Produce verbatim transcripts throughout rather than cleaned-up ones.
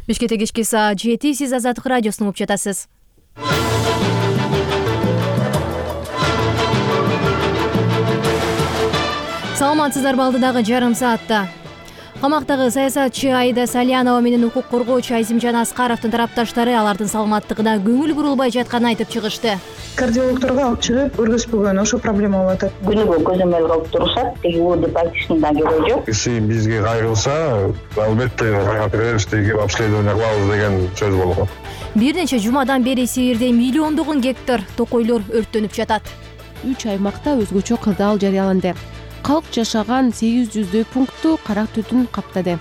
Бишкекте кечки саат жети, сиз Азаттык радиосун угуп жатасыз. Саламатсыздарбы, алдыдагы жарым саатта. Камактагы саясатчы Аида Салянова менен укук коргоочу Азимжан Аскаровдун тарапташтары алардын саламаттыгына көңүл бурулбай жатканын айтып чыгышты. Кардиологдорго алып чыгып өргөзбөгөн ошо проблема болуп атат. Күнүгө көзөмөл кылып турушат, теги у деп айтыштын да кереги жок. Киши бизге кайрылса, албетте кайрап беребиз, теги обследование кылабыз деген сөз болгон. Бир нече жумадан бери Сибирде миллиондогон гектар токойлор өрттөнүп жатат. Үч аймакта өзгөчө кырдаал жарыяланды. Калк жашаган сегиз жүздөй пунктту кара түтүн каптады.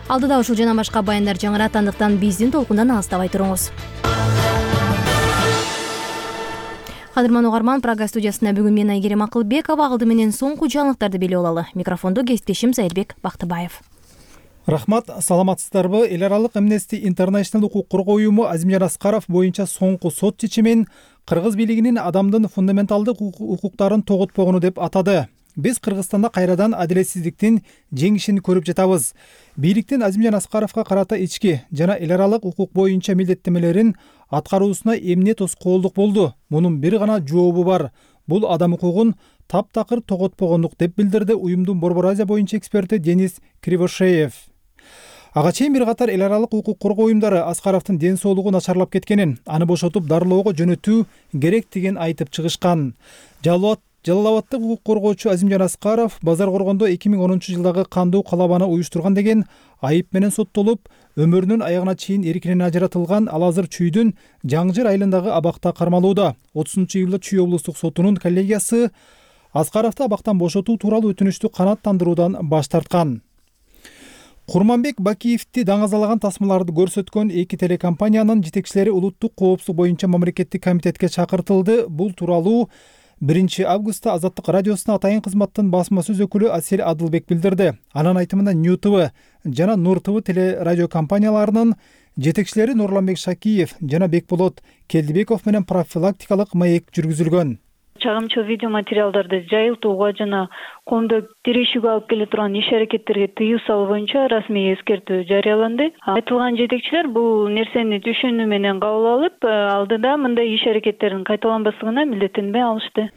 Алдыда ушул жана башка баяндар жаңырат, андыктан биздин толкундан алыстабай туруңуз. Кадырман угарман, Прага студиясында бүгүн мен Айгерим Акылбекова, алды менен соңку жаңылыктарды билип алалы. Микрофондо кесиптешим Зайырбек Бактыбаев. Рахмат, саламатсыздарбы? Эл аралык Amnesty International укук коргоо уюму Азимжан Аскаров боюнча соңку сот чечимин кыргыз бийлигинин адамдын фундаменталдык укуктарын тоготпогону деп атады. Биз Кыргызстанда кайрадан адилетсиздиктин жеңишин көрүп жатабыз. Бийликтин Азимжан Аскаровго карата ички жана эл аралык укук боюнча милдеттемелерин аткаруусуна эмне тоскоолдук болду? Мунун бир гана жообу бар. Бул адам укугун таптакыр тоготпогондук, деп билдирди уюмдун Борбор Азия боюнча эксперти Денис Кривошеев. Ага чейин бир катар эл аралык укук коргоо уюмдары Аскаровдун ден соолугу начарлап кеткенин, аны бошотуп дарылоого жөнөтүү керектигин айтып чыгышкан. Жалуат Жалал-Абадтык укук коргоочу Азимжан Аскаров Базар Коргондо эки миң онунчу жылдагы кандуу калабаны уюштурган деген айып менен соттолуп, өмүрүнүн аягына чейин эркинен ажыратылган, ал азыр Чүйдүн Жаңжыр айылындагы абакта кармалууда. отузунчу июлда Чүй облустук сотунун коллегиясы Аскаровду абактан бошотуу тууралуу өтүнүчтү канааттандыруудан баш тарткан. Курманбек Бакиевди даңазалаган тасмаларды көрсөткөн эки телекомпаниянын жетекчилери улуттук коопсуздук боюнча мамлекеттик комитетке чакыртылды. Бул тууралуу биринчи августта Азаттык радиосуна атайын кызматтын басма сөз өкүлү Асель Адылбек билдирди. Анын айтымында Нью ТВ жана Нур ТВ телерадио компанияларынын жетекчилери Нурланбек Шакиев жана Бекболот Келдибеков менен профилактикалык маек жүргүзүлгөн. Чагымчыл видео материалдарды жайылтууга жана коомду тирешүүгө алып келе турган иш-аракеттерге тыюу салуу боюнча расмий эскертүү жарыяланды. Айтылган жетекчилер бул нерсени түшүнүү менен кабыл алып, алдыда мындай иш-аракеттердин кайталанбаслыгына милдеттенме алышты.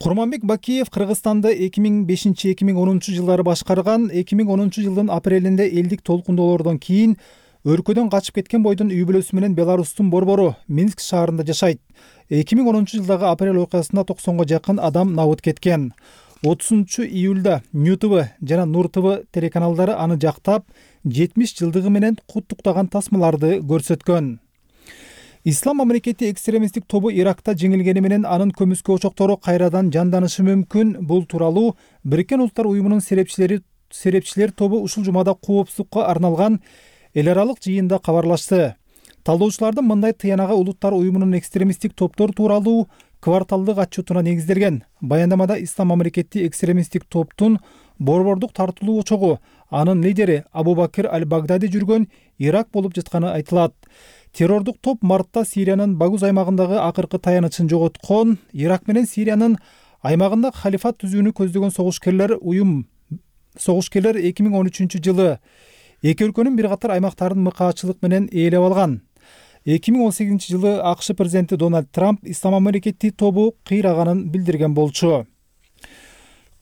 Курманбек Бакиев Кыргызстанды эки миң бешинчи — эки миң онунчу жылдары башкарган. эки миң онунчу жылдын апрелинде элдик толкундоолордон кийин өлкөдөн качып кеткен бойдон үй бүлөсү менен Беларустун борбору Минск шаарында жашайт. эки миң онунчу жылдагы апрель окуясында токсонго жакын адам набыт кеткен. отузунчу июлда Нью ТВ жана Нур ТВ телеканалдары аны жактап, жетимиш жылдыгы менен куттуктаган тасмаларды көрсөткөн. Ислам мамлекети экстремисттик тобу Иракта жеңилгени менен анын көмүскө очоктору кайрадан жанданышы мүмкүн. Бул тууралуу Бириккен Улуттар уюмунун серепчилери серепчилер тобу ушул жумада коопсуздукка арналган эл аралык жыйында кабарлашты. Талдоочулардын мындай тыянагы Улуттар уюмунун экстремисттик топтор тууралуу кварталдык отчетуна негизделген. Баяндамада Ислам мамлекети экстремисттик топтун борбордук тартылуу очогу, анын лидери Абу-Бакир аль-Багдади жүргөн Ирак болуп жатканы айтылат. Террордук топ мартта Сириянын Багуз аймагындагы акыркы таянычын жоготкон. Ирак менен Сириянын аймагында халифат түзүүнү көздөгөн согушкерлер уюм согушкерлер эки миң он үчүнчү жылы эки өлкөнүн бир катар аймактарын мыкаачылык менен ээлеп алган. эки миң он сегизинчи жылы АКШ президенти Дональд Трамп Ислам мамлекети тобу кыйраганын билдирген болчу.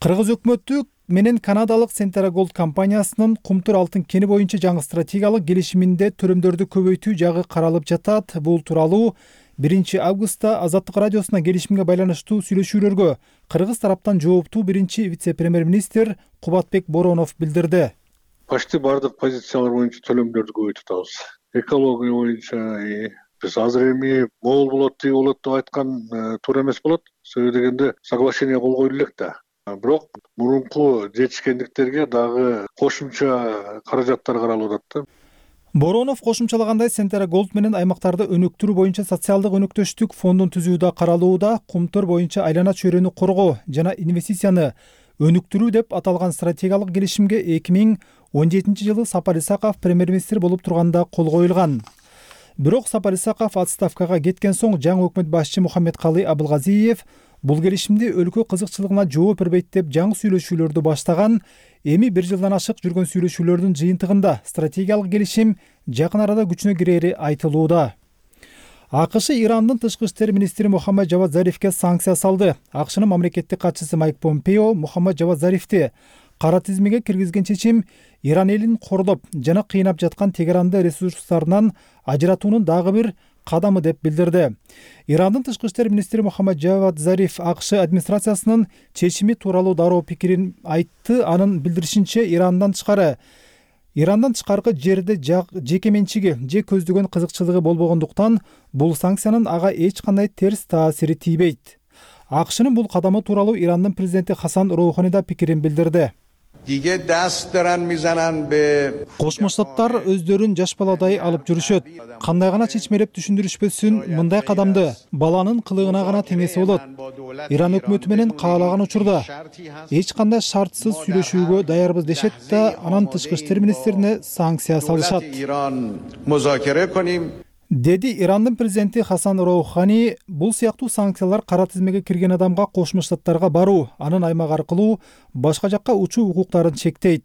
Кыргыз өкмөтү менен канадалык Centera Gold компаниясынын Кумтур алтын кени боюнча жаңы стратегиялык келишиминде төлөмдөрдү көбөйтүү жагы каралып жатат. Бул тууралуу биринчи августта Азаттык радиосуна келишимге байланыштуу сүйлөшүүлөргө Кыргыз тараптан жооптуу биринчи вице-премьер-министр Кубатбек Боронов билдирди. Почти бардык позициялар боюнча төлөмдөрдү көбөйтүп атабыз. Экология боюнча биз азыр эми могул болот, тиги болот деп айткан туура эмес болот. Себеби дегенде соглашение кол коюлу элек да. Бирок мурунку жетишкендиктерге дагы кошумча каражаттар каралып атат да. Боронов кошумчалагандай, Centera Gold менен аймактарды өнүктүрүү боюнча социалдык өнөктөштүк фондун түзүүдө каралууда. Кумтур боюнча айлана чөйрөнү коргоо жана инвестицияны өнүктүрүү деп аталган стратегиялык келишимге эки миң он жетинчи жылы Сапар Исаков премьер-министр болуп турганда кол коюлган. Бирок Сапар Исаков отставкага кеткен соң жаңы өкмөт башчы Мухаммедкалый Абылгазиев бул келишимди өлкө кызыкчылыгына жооп бербейт деп жаңы сүйлөшүүлөрдү баштаган. Эми бир жылдан ашык жүргөн сүйлөшүүлөрдүн жыйынтыгында стратегиялык келишим жакын арада күчүнө кирери айтылууда. АКШ Ирандын тышкы иштер министри Мухаммад Жавад Зарифке санкция салды. АКШнын мамлекеттик катчысы Майк Помпео Мухаммад Жавад Зарифти кара тизмеге киргизген чечим Иран элин кордоп жана кыйнап жаткан Тегеранды ресурстарынан ажыратуунун дагы бир кадамы деп билдирди. Ирандын тышкы иштер министри Мухаммад Жавад Зариф АКШ администрациясынын чечими тууралуу дароо пикирин айтты. Анын билдиришинче, Ирандан тышкары Ирандан тышкаркы жерде жеке менчиги же көздөгөн кызыкчылыгы болбогондуктан бул санкциянын ага эч кандай терс таасири тийбейт. АКШнын бул кадамы тууралуу Ирандын президенти Хасан Роухани да пикирин билдирди. Кошмо Штаттар өздөрүн жаш баладай алып жүрүшөт. Кандай гана чечмелеп түшүндүрүшпөсүн, мындай кадамды баланын кылыгына гана теңесе болот. Иран өкмөтү менен каалаган учурда эч кандай шартсыз сүйлөшүүгө даярбыз дешет да, анан тышкы иштер министрине санкция салышат, деди Ирандын президенти Хасан Роухани. Бул сыяктуу санкциялар кара тизмеге кирген адамга Кошмо Штаттарга баруу, анын аймак аркылуу башка жакка учуу укуктарын чектейт.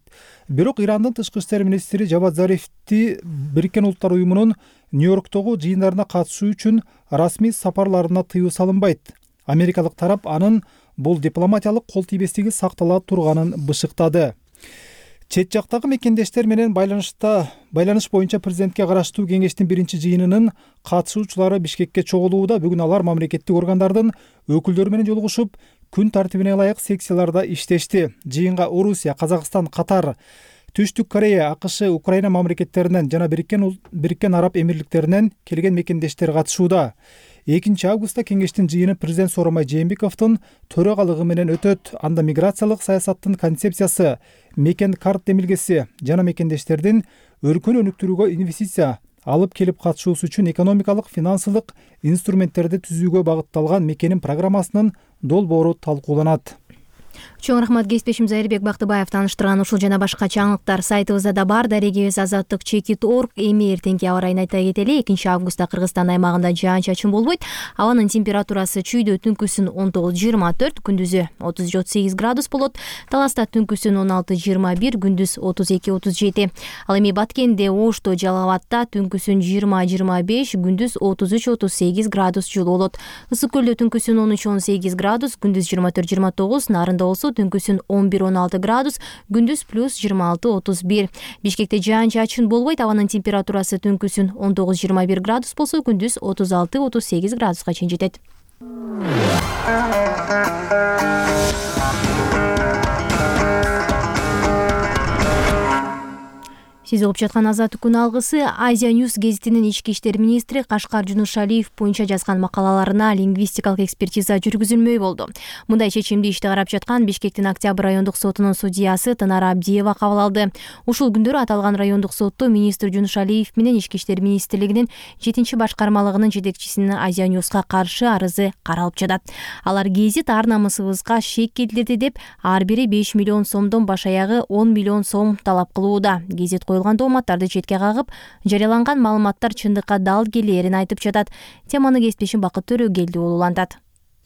Бирок Ирандын тышкы иштер министри Жавад Зарифти Бириккен Улуттар уюмунун Нью-Йорктогу жыйындарына катышуу үчүн расмий сапарларына тыюу салынбайт. Америкалык тарап анын бул дипломатиялык кол тийбестиги сактала турганын бышыктады. Чет жактагы мекендештер менен байланышта байланыш боюнча президентке караштуу кеңештин биринчи жыйынынын катышуучулары Бишкекке чогулууда. Бүгүн алар мамлекеттик органдардын өкүлдөрү менен жолугушуп, күн тартибине ылайык секцияларда иштешти. Жыйынга Орусия, Казакстан, Катар, Түштүк Корея, АКШ, Украина мамлекеттеринен жана Бириккен Бириккен Араб Эмирликтеринен келген мекендештер катышууда. экинчи августта кеңештин жыйыны президент Сооронбай Жээнбековдун төрагалыгы менен өтөт. Анда миграциялык саясаттын концепциясы, мекен карт демилгеси жана мекендештердин өркөн өнүктүрүүгө инвестиция алып келип катышуусу үчүн экономикалык, финансылык инструменттерди түзүүгө багытталган мекенин программасынын долбоору талкууланат. Чоң рахмат кесиптешим Зайырбек Бактыбаев тааныштырган ушул жана башка чаңылыктар сайтыбызда да бар. Дарегибиз азаттык чекит точка орг. Эми эртеңки аба ырайын айта кетели. экинчи августта Кыргызстан аймагында жаан-чачын болбойт. Абанын температурасы чүйдө түнкүсүн он тогуз жыйырма төрт, күндүзү отуз отуз сегиз градус болот. Таласта түнкүсүн он алты жыйырма бир, күндүз отуз эки отуз жети. Ал эми Баткенде, Ошто, Жалал Абадта түнкүсүн жыйырма жыйырма беш, күндүз отуз үч отуз сегиз градус жылуу болот. Ысык көлдө түнкүсүн он үч он сегиз градус, күндүз жыйырма төрт жыйырма тогуз, Нарында болсо түнкүсүн он бир он алты градус, күндүз плюс жыйырма алты отуз бир. Бишкекте жаан-чачын болбойт. Абанын температурасы түнкүсүн он тогуз жыйырма бир градус болсо, күндүз отуз алты отуз сегиз градуска чейин жетет. Сиз угуп жаткан Азаттык күн алгысы. Азия News гезитинин ички иштер министри Кашкар Жунушалиев боюнча жазган макалаларына лингвистикалык экспертиза жүргүзүлмөй болду. Мындай чечимди ишти карап жаткан Бишкектин Октябрь райондук сотунун судьясы Тынара Абдиева кабыл алды. Ушул күндөрү аталган райондук сотто министр Жунушалиев менен ички иштер министрлигинин жетинчи башкармалыгынын жетекчисинин Азия News'ка каршы арызы каралып жатат. Алар гезит ар намысыбызга шек келтирди деп, ар бири беш миллион сомдон баш аягы он миллион сом талап кылууда. Гезит коюлган дооматтарды четке кагып, жарыяланган маалыматтар чындыкка дал келээрин айтып жатат. Теманы кесиптешим Бакыт Төрөгелди улантат.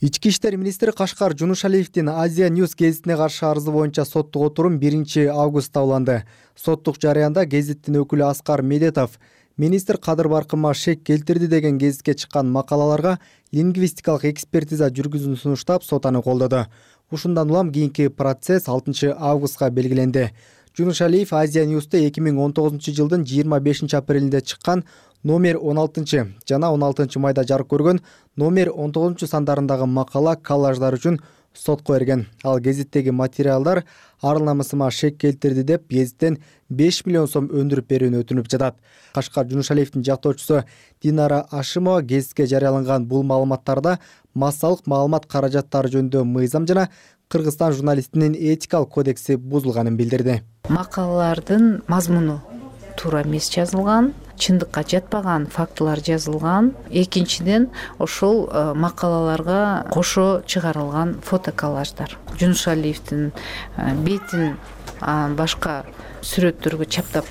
Ички иштер министри Кашкар Жунушалиевдин Азия News гезитине каршы арызы боюнча соттук отурум биринчи августта уланды. Соттук жарыянда гезиттин өкүлү Аскар Медетов министр Кадыр Баркынга шек келтирди деген гезитке чыккан макалаларга лингвистикалык экспертиза жүргүзүүнү сунуштап, сот аны колдоду. Ушундан улам кийинки процесс алтынчы августка белгиленди. Жунушалиев Азия News'та эки миң он тогузунчу жылдын жыйырма бешинчи апрелинде чыккан номер он алтынчы жана он алтынчы майда жарык көргөн номер он тогузунчу сандарындагы макала коллаждар үчүн сотко берген. Ал гезиттеги материалдар ар намысыма шек келтирди деп гезиттен беш миллион сом өндүрүп берүүнү өтүнүп жатат. Кашкар Жунушалиевдин жактоочусу Динара Ашимова гезитке жарыяланган бул маалыматтарда массалык маалымат каражаттары жөнүндө мыйзам жана Кыргызстан журналистинин этикалык кодекси бузулганын билдирди. Макалалардын мазмуну туура эмес жазылган, чындыкка жатпаган фактылар жазылган. Экинчиден, ошол макалаларга кошо чыгарылган фотоколлаждар. Жунушалиевдин бетин башка сүрөттөргө чаптап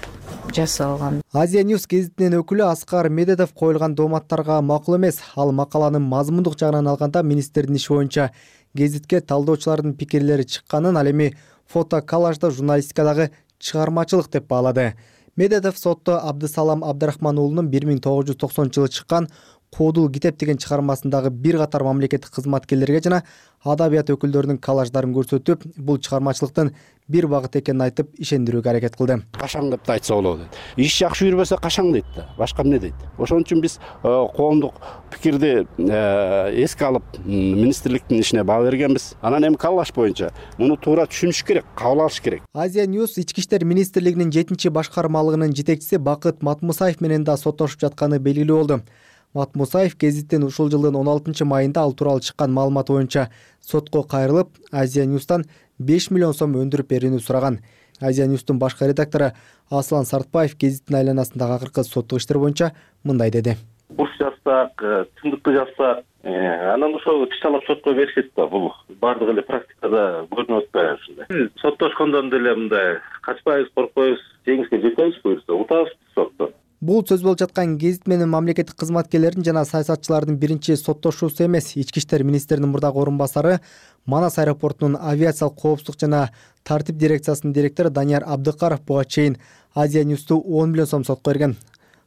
жасалган. Азия Ньюс гезитинин өкүлү Аскар Медетов коюлган дооматтарга макул эмес. Ал макаланын мазмундук жагынан алганда министрдин иши боюнча гезитке талдоочулардын пикирлери чыкканын, ал эми фото коллажда журналистикадагы чыгармачылык деп баалады. Медетов сотто Абдысалам Абдрахман уулунун бир миң тогуз жүз токсонунчу жылы чыккан Кодул китеп деген чыгармасындагы бир катар мамлекеттик кызматкерлерге жана адабият өкүлдөрүнүн коллаждарын көрсөтүп, бул чыгармачылыктын бир багыт экенин айтып, ишендирүүгө аракет кылды. Кашаң деп айтса болот дейт. Иш жакшы жүрбөсө кашаң дейт да. Башка эмне дейт? Ошон үчүн биз коомдук пикирди эске алып, министрликтин ишине баа бергенбиз. Анан эми коллаж боюнча муну туура түшүнүш керек, кабыл алыш керек. Азия Ньюс Ички иштер министрлигинин жетинчи башкармалыгынын жетекчиси Бакыт Матмусаев менен да соттошуп жатканы белгилүү болду. Матмусаев гезиттин ушул жылдын он алтынчы майында ал тууралуу чыккан маалымат боюнча сотко кайрылып, Азия Ньюстан беш миллион сом өндүрүп берүүнү сураган. Азия Ньюстун башкы редактору Аслан Сартбаев гезиттин айланасындагы акыркы соттук иштер боюнча мындай деди. Буш жазсак, чындыкты жазсак, анан ошол тышталып сотко беришет да. Бул бардыгы эле практикада көрүнүп атпайбы ушундай. Соттошкондон деле мындай качпайбыз, коркпойбуз, жеңишке жетебиз буюрса, утабыз сотто. Бул сөз болуп жаткан гезит менен мамлекеттик кызматкерлердин жана саясатчылардын биринчи соттошуусу эмес. Ички иштер министринин мурдагы орун басары, Манас аэропортунун авиациялык коопсуздук жана тартип дирекциясынын директору Данияр Абдыкаров буга чейин Азия Ньюсту он миллион сом сотко берген.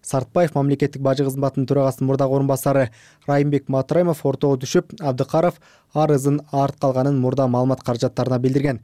Сартбаев мамлекеттик бажы кызматынын төрагасынын мурдагы орун басары Райымбек Матраимов ортого түшүп, Абдыкаров арызын арт калганын мурда маалымат каражаттарына билдирген.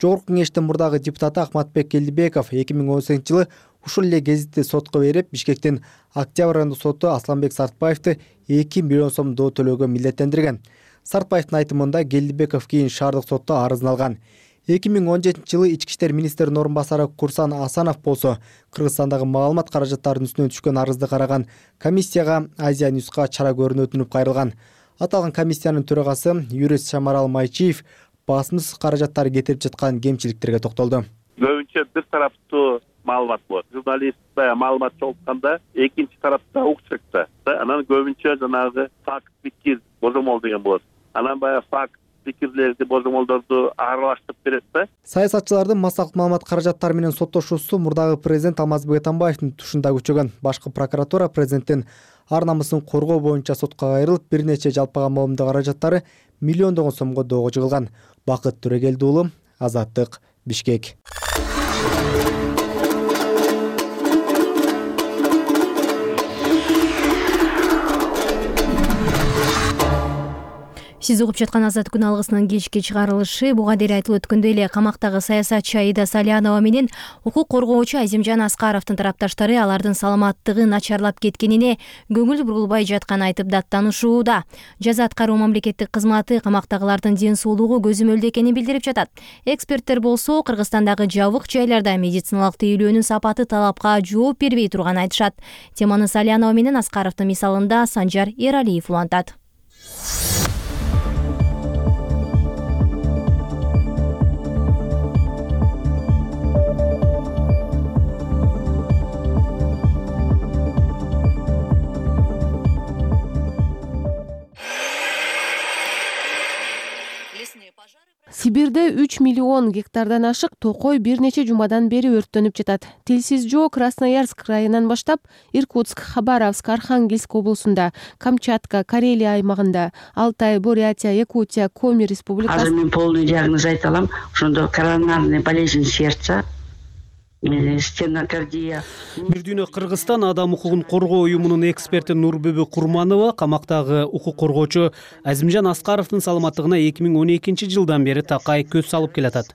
Жогорку кеңештин мурдагы депутаты Ахматбек Келдибеков эки миң он сегизинчи жылы ушул эле гезитти сотко берип, Бишкектин Октябрь райондук соту Асланбек Сартбаевди эки миллион сом доо төлөөгө милдеттендирген. Сартбаевдин айтымында Келдибеков кийин шаардык сотто арызын алган. эки миң он жетинчи жылы ички иштер министринин орун басары Курсан Асанов болсо, Кыргызстандагы маалымат каражаттарынын үстүнөн түшкөн арызды караган комиссияга Азия Ньюска чара көрүүнү өтүнүп кайрылган. Аталган комиссиянын төрагасы юрист Шамарал Майчиев басымсыз каражаттары кетирип жаткан кемчиликтерге токтолду. Көбүнчө бир тараптуу маалымат болот. Журналист маалымат чогултканда экинчи тарапта укчакта. Анан көбүнчө жанагы факт, пикир, божомол деген болот. Анан баягы факт, пикирлерди, божомолдорду аралаштырып берет да. Саясатчылардын массалык маалымат каражаттары менен соттошуусу мурдагы президент Алмазбек Атамбаевдин тушунда күчөгөн. Башкы прокуратура президенттин ар намысын коргоо боюнча сотко кайрылып, бир нече жалпыга маалымдоо каражаттары миллиондогон сомго доого жыгылган. Бакыт Төрөгелди уулу, Азаттык, Бишкек. Сиз угуп жаткан Азат күн алгысынын кечки чыгарылышы. Буга дейин айтылып өткөндөй эле камактагы саясатчы Аида Салянова менен укук коргоочу Азимжан Аскаровдун тарапташтары алардын саламаттыгы начарлап кеткенине көңүл бурулбай жатканын айтып даттанышууда. Жаза аткаруу мамлекеттик кызматы камактагылардын ден соолугу көзөмөлдө экенин билдирип жатат. Эксперттер болсо Кыргызстандагы жабык жайларда медициналык тейлөөнүн сапаты талапка жооп бербей турганын айтышат. Теманы Салянова менен Аскаровдун мисалында Санжар Эралиев улантат. Сибирде үч миллион гектардан ашык токой бир нече жумадан бери өрттөнүп жатат. Телсиз жоо Красноярск районунан баштап Иркутск, Хабаровск, Архангельск облусунда, Камчатка, Карелия аймагында, Алтай, Бурятия, Якутия, Коми республикасы. Азыр мен полный диагноз айта алам. Ошондо коронарный болезнь сердца, стенокардия. Бир дүйнө Кыргызстан адам укугун коргоо уюмунун эксперти Нурбүбү Курманова камактагы укук коргоочу Азимжан Аскаровдун саламаттыгына эки миң он экинчи жылдан бери такай көз салып келатат.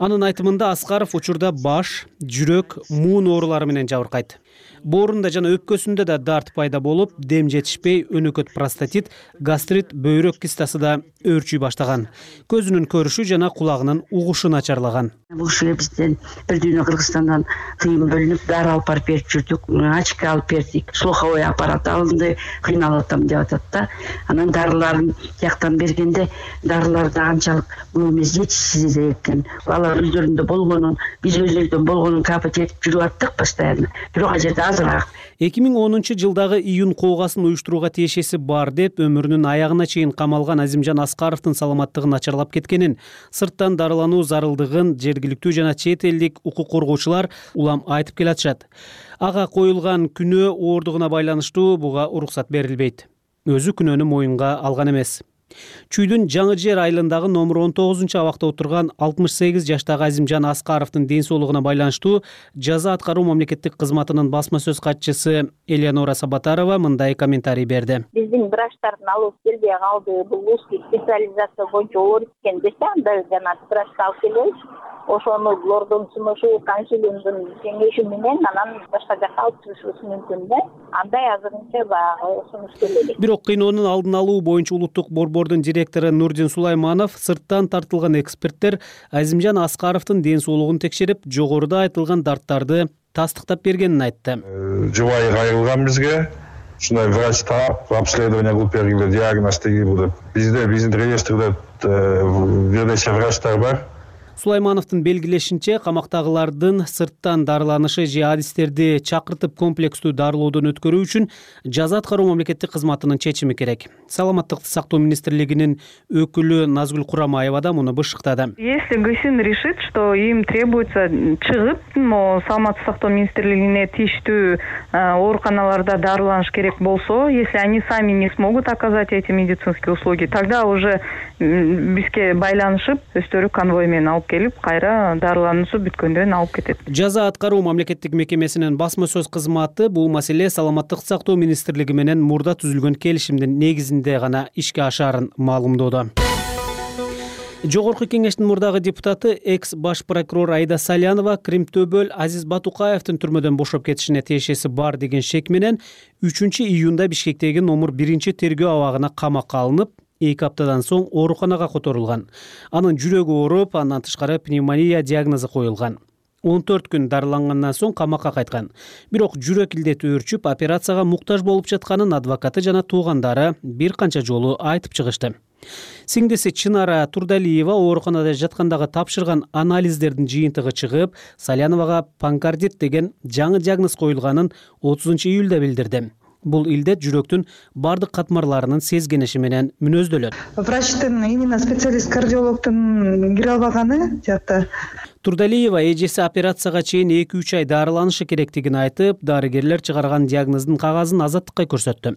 Анын айтымында Аскаров учурда баш, жүрөк, муун оорулары менен жабыркайт. Боорунда жана өпкөсүндө да дарт пайда болуп, дем жетишпей, өнөкөт простатит, гастрит, бөйрөк кистасы да өөрчүй баштаган. Көзүнүн көрүшү жана кулагынын угушу начарлаган. Бул ушул бизден бир дүйнө Кыргызстандан тыйын бөлүнүп, дары алып барып берип жүрдүк, очко алып бердик, слуховой аппарат алынды, кыйналып атам деп атат да. Анан дарыларын жактан бергенде дарылар да анчалык бул эмес жетишсиз экен. Алар өздөрүндө болгонун, биз өзүбүздөн болгонун капать этип жүрүп аттык постоянно. Бирок ал жерде азыраак. эки миң онунчу жылдагы июнь коогасын уюштурууга тиешеси бар деп өмүрүнүн аягына чейин камалган Азимжан Аскаровдун саламаттыгы начарлап кеткенин, сырттан дарылануу зарылдыгын жергиликтүү жана чет элдик укук коргоочулар улам айтып келатышат. Ага коюлган күнөө оордугуна байланыштуу буга уруксат берилбейт. Өзү күнөөнү моюнга алган эмес. Чүйдүн Жаңы Жер айылындагы номер он тогузунчу абакта отурган алтымыш сегиз жаштагы Азимжан Аскаровдун ден соолугуна байланыштуу жаза аткаруу мамлекеттик кызматынын басма сөз катчысы Элеонора Сабатарова мындай комментарий берди. Биздин врачтардын алып келбей калды. Бул узкий специализация боюнча оор экен десе, анда жана врачты алып келебиз. Ошону лордун сунушу, консилиумдун кеңеши менен анан башка жакка алып чыгышыбыз мүмкүн да. Андай азырынча баягы сунуш келеби. Бирок кыйноонун алдын алуу боюнча улуттук борбордун директору Нурдин Сулайманов сырттан тартылган эксперттер Азимжан Аскаровдун ден соолугун текшерип, жогоруда айтылган дарттарды тастыктап бергенин айтты. Жубайы кайрылган бизге. Ушундай врач таап, обследование кылып бергиле, диагноз тегиле. Бизде биздин реестрде бир нече врачтар бар. Сулаймановдун белгилешинче, камактагылардын сырттан дарыланышы же адистерди чакыртып комплекстүү дарылоодон өткөрүү үчүн жаза аткаруу мамлекеттик кызматынын чечими керек. Саламаттыкты сактоо министрлигинин өкүлү Назгүл Курамаева да муну бышыктады. Если ГСИН решит, что им требуется чыгып, саламаттык сактоо министрлигине тийиштүү ооруканаларда дарыланыш керек болсо, если они сами не смогут оказать эти медицинские услуги, тогда уже бизге байланышып, өздөрү конвой менен алып келип, кайра дарылануусу бүткөндөн алып кетет. Жаза аткаруу мамлекеттик мекемесинин басма сөз кызматы бул маселе саламаттык сактоо министрлиги менен мурда түзүлгөн келишимдин негизинде гана ишке ашаарын маалымдоодо. Жогорку кеңештин мурдагы депутаты экс баш прокурор Айда Салянова Кримтөбөл Азиз Батукаевдин түрмөдөн бошоп кетишине тиешеси бар деген шек менен үчүнчү июнда Бишкектеги номер биринчи тергөө абагына камакка алынып, эки аптадан соң ооруканага которулган. Анын жүрөгү ооруп, андан тышкары пневмония диагнозу коюлган. он төрт күн дарылангандан соң камакка кайткан. Бирок жүрөк илдети өөрчүп, операцияга муктаж болуп жатканын адвокаты жана туугандары бир канча жолу айтып чыгышты. Сиңдиси Чынара Турдалиева ооруканада жаткандагы тапшырган анализдердин жыйынтыгы чыгып, Саляновага панкардит деген жаңы диагноз коюлганын отузунчу июлда билдирди. Бул илдет жүрөктүн бардык катмарларынын сезгениши менен мүнөздөлөт. Врачтын, именно специалист кардиологдун кире албаганы жакта. Турдалиева эжеси операцияга чейин эки үч ай дарыланышы керектигин айтып, дарыгерлер чыгарган диагноздун кагазын азаттыкка көрсөттү.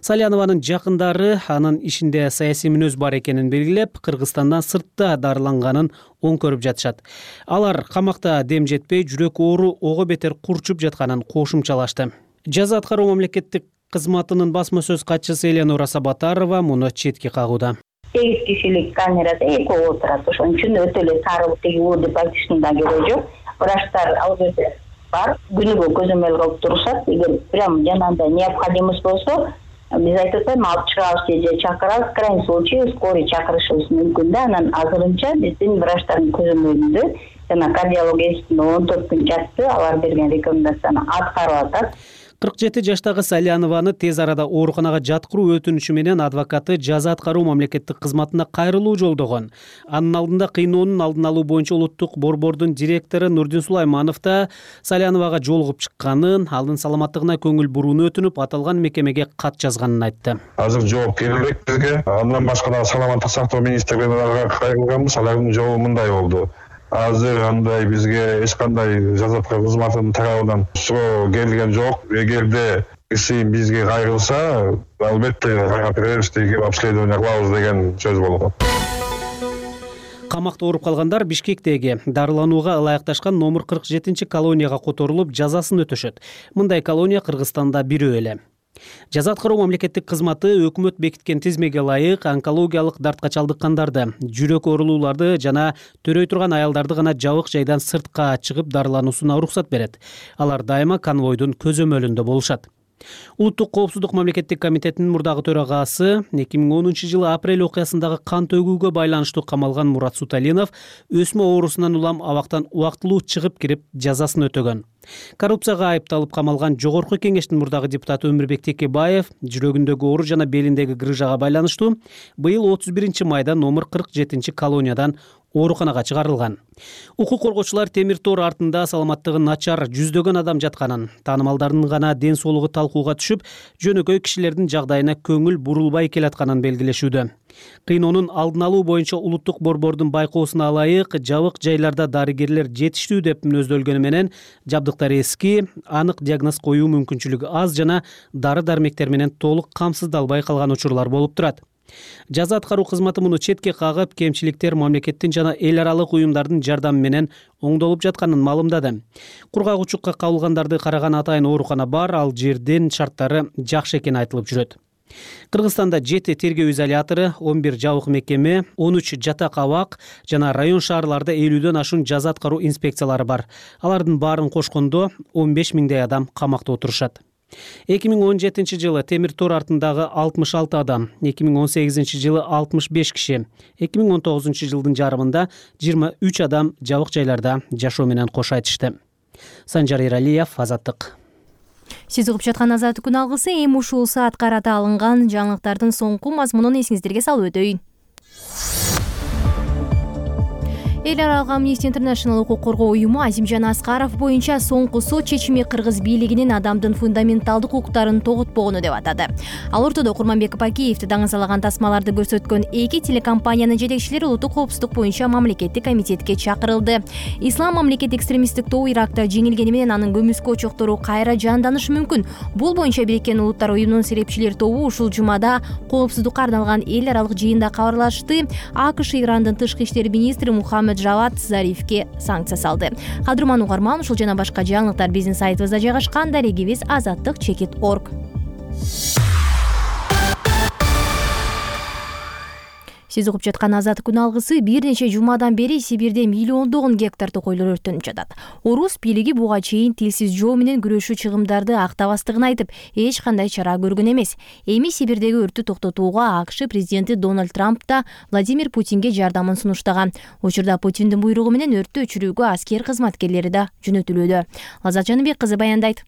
Салянованын жакындары анын ишинде саясий мүнөз бар экенин белгилеп, Кыргызстандан сыртта дарыланганын оң көрүп жатышат. Алар камакта дем жетпей, жүрөк оору ого бетер курчуп жатканын кошумчалашты. Жаза аткаруу мамлекеттик кызматынын басма сөз катчысы Элеонора Сабатарова муну четке кагууда. Сегиз кишилик камерада экөө отурат. Ошон үчүн өтө эле сары теги уу деп айтыштын да кереги жок. Врачтар ал жерде бар, күнүгө көзөмөл кылып турушат. Эгер прям жанагындай необходимость болсо, биз айтып атпайбы, алып чыгабыз же чакырабыз, крайний случай скорый чакырышыбыз мүмкүн да. Анан азырынча биздин врачтардын көзөмөлүндө жана кардиологияден он төрт күн жатты, алар берген рекомендацияны аткарып атат. кырк жети жаштагы Салянованы тез арада ооруканага жаткыруу өтүнүчү менен адвокаты жаза аткаруу мамлекеттик кызматына кайрылуу жолдогон. Анын алдында кыйноонун алдын алуу боюнча улуттук борбордун директору Нурдин Сулайманов да Саляновага жолугуп чыкканын, анын саламаттыгына көңүл бурууну өтүнүп, аталган мекемеге кат жазганын айтты. Азыр жооп келбек бизге. Андан башка да саламаттык сактоо министрлигине кайрылганбыз, алардын жообу мындай болду. Азыр андай бизге эч кандай жаза аткаруу кызматынын тарабынан суроо келген жок. Эгерде киши бизге кайрылса, албетте кайрап беребиз, деги обследование кылабыз деген сөз болгон. Камакта ооруп калгандар Бишкектеги дарыланууга ылайыкташкан номер кырк жетинчи колонияга которулуп, жазасын өтөшөт. Мындай колония Кыргызстанда бирөө эле. Жаза аткаруу мамлекеттик кызматы өкмөт бекиткен тизмеге ылайык онкологиялык дартка чалдыккандарды, жүрөк оорулууларды жана төрөй турган аялдарды гана жабык жайдан сыртка чыгып дарылануусуна уруксат берет. Алар дайыма конвойдун көзөмөлүндө болушат. Улуттук коопсуздук мамлекеттик комитетинин мурдагы төрагасы эки миң онунчу жылы апрель окуясындагы кан төгүүгө байланыштуу камалган Мурат Суталинов өсмө оорусунан улам абактан убактылуу чыгып кирип жазасын өтөгөн. Коррупцияга айыпталып камалган жогорку кеңештин мурдагы депутаты Өмүрбек Текебаев жүрөгүндөгү оору жана белиндеги грыжага байланыштуу быйыл отуз биринчи майда номер кырк жетинчи колониядан ооруканага чыгарылган. Укук коргоочулар темир тор артында саламаттыгы начар жүздөгөн адам жатканын, таанымалдардын гана ден соолугу талкууга түшүп, жөнөкөй кишилердин жагдайына көңүл бурулбай келатканын белгилешүүдө. Кыйноонун алдын алуу боюнча улуттук борбордун байкоосуна ылайык жабык жайларда дарыгерлер жетиштүү деп мүнөздөлгөнү менен жабдыктар эски, анык диагноз коюу мүмкүнчүлүгү аз жана дары дармектер менен толук камсыздалбай калган учурлар болуп турат. Жаза аткаруу кызматы муну четке кагып, кемчиликтер мамлекеттин жана эл аралык уюмдардын жардамы менен оңдолуп жатканын маалымдады. Кургак учукка кабылгандарды караган атайын оорукана бар, ал жердин шарттары жакшы экени айтылып жүрөт. Кыргызстанда жети тергөө изолятору, он бир жабык мекеме, он үч жатак абак жана район шаарларда элүүдөн ашуун жаза аткаруу инспекциялары бар. Алардын баарын кошкондо он беш миңдей адам камакта отурушат. эки миң он жетинчи жылы темир тор артындагы алтымыш алты адам, эки миң он сегизинчи жылы алтымыш беш киши, эки миң он тогузунчу жылдын жарымында жыйырма үч адам жабык жайларда жашоо менен кош айтышты. Санжар Эралиев, Азаттык. Сиз угуп жаткан Азаттык күн алгысы эми ушул саат карата алынган жаңылыктардын соңку мазмунун эсиңиздерге салып өтөйүн. Эл аралык Amnesty International укук коргоо уюму Азимжан Аскаров боюнча соңку сот чечими кыргыз бийлигинин адамдын фундаменталдык укуктарын тоготпогону деп атады. Ал ортодо Курманбек Бакиевди даңазалаган тасмаларды көрсөткөн эки телекомпаниянын жетекчилери улуттук коопсуздук боюнча мамлекеттик комитетке чакырылды. Ислам мамлекет экстремисттик тобу Иракта жеңилгени менен анын көмүскө очоктору кайра жанданышы мүмкүн. Бул боюнча Бириккен Улуттар уюмунун серепчилер тобу ушул жумада коопсуздукка арналган эл аралык жыйында кабарлашты. АКШ Ирандын тышкы иштер министри Мухаммед Жавад Зарифке санкция салды. Кадырман угарман, ушул жана башка жаңылыктар биздин сайтыбызда жайгашкан, дарегибиз азаттык чекит точка орг. Сиз угуп жаткан Азаттык күн алгысы бир нече жумадан бери Сибирде миллиондогон гектар токойлор өрттөнүп жатат. Орус бийлиги буга чейин тилсиз жоо менен күрөшүү чыгымдарды актабастыгын айтып, эч кандай чара көргөн эмес. Эми Сибирдеги өрттү токтотууга АКШ президенти Дональд Трамп да Владимир Путинге жардамын сунуштаган. Учурда Путиндин буйругу менен өрттү өчүрүүгө аскер кызматкерлери да жөнөтүлүүдө. Лаззат Жаныбек кызы баяндайт.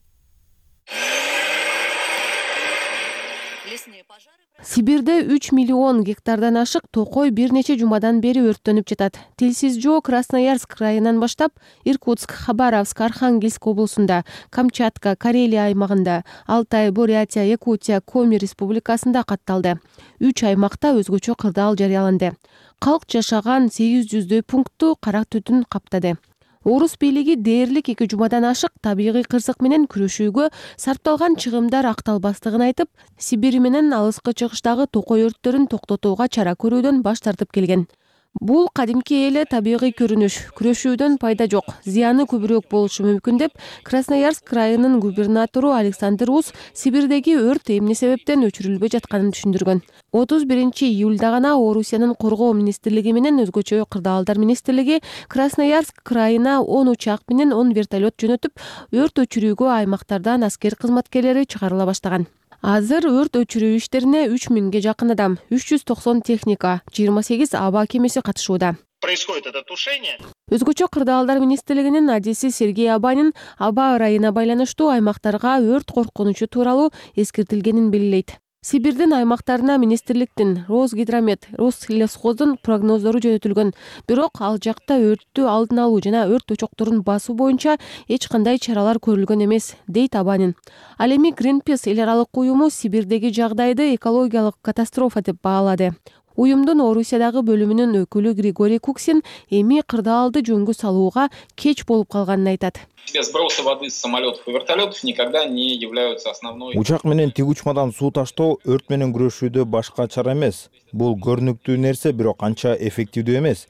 Сибирде үч миллион гектардан ашык токой бир нече жумадан бери өрттөнүп жатат. Тилсиз жоо Красноярск районунан баштап Иркутск, Хабаровск, Архангельск облусунда, Камчатка, Карелия аймагында, Алтай, Бурятия, Якутия, Коми республикасында катталды. Үч аймакта өзгөчө кырдаал жарыяланды. Калк жашаган сегиз жүздөй пунктту кара түтүн каптады. Орус бийлиги дээрлик эки жумадан ашык табигый кырсык менен күрөшүүгө сарпталган чыгымдар акталбастыгын айтып, Сибирь менен алыскы чыгыштагы токой өрттөрүн токтотууга чара көрүүдөн баш тартып келген. Бул кадимки эле табигый көрүнүш, күрөшүүдөн пайда жок, зыяны көбүрөөк болушу мүмкүн деп Красноярск районунун губернатору Александр Ус Сибирдеги өрт эмне себептен өчүрүлбөй жатканын түшүндүргөн. отуз биринчи июлда гана Орусиянын коргоо министрлиги менен өзгөчө кырдаалдар министрлиги Красноярск крайына он учак менен он вертолет жөнөтүп, өрт өчүрүүгө аймактардан аскер кызматкерлери чыгарыла баштаган. Азыр өрт өчүрүү иштерине үч миңге жакын адам, үч жүз токсон техника, жыйырма сегиз аба кемеси катышууда. Происходит это тушение. Өзгөчө кырдаалдар министрлигинин адиси Сергей Абанин аба ырайына байланыштуу аймактарга өрт коркунучу тууралуу эскертилгенин белгилейт. Сибирдин аймактарына министрликтин, Росгидромет, Рослесхоздун прогноздору жөнөтүлгөн. Бирок ал жакта өрттү алдын алуу жана өрт очокторун басуу боюнча эч кандай чаралар көрүлгөн эмес, дейт Абанин. Ал эми Greenpeace эл аралык уюму Сибирдеги жагдайды экологиялык катастрофа деп баалады. Уюмдун Орусиядагы бөлүмүнүн өкүлү Григорий Куксин эми кырдаалды жөнгө салууга кеч болуп калганын айтат. Сбросы воды с самолетов и вертолетов никогда не являются основной. Учак менен тиг учмадан суу таштоо өрт менен күрөшүүдө башка чара эмес. Бул көрүнүктүү нерсе, бирок анча эффективдүү эмес.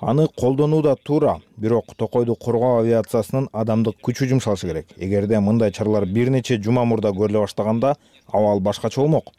Аны колдонуу да туура, бирок токойду коргоо авиациясынын адамдык күчү жумшалышы керек. Эгерде мындай чаралар бир нече жума мурда көрүлө баштаганда, абал башкача болмок.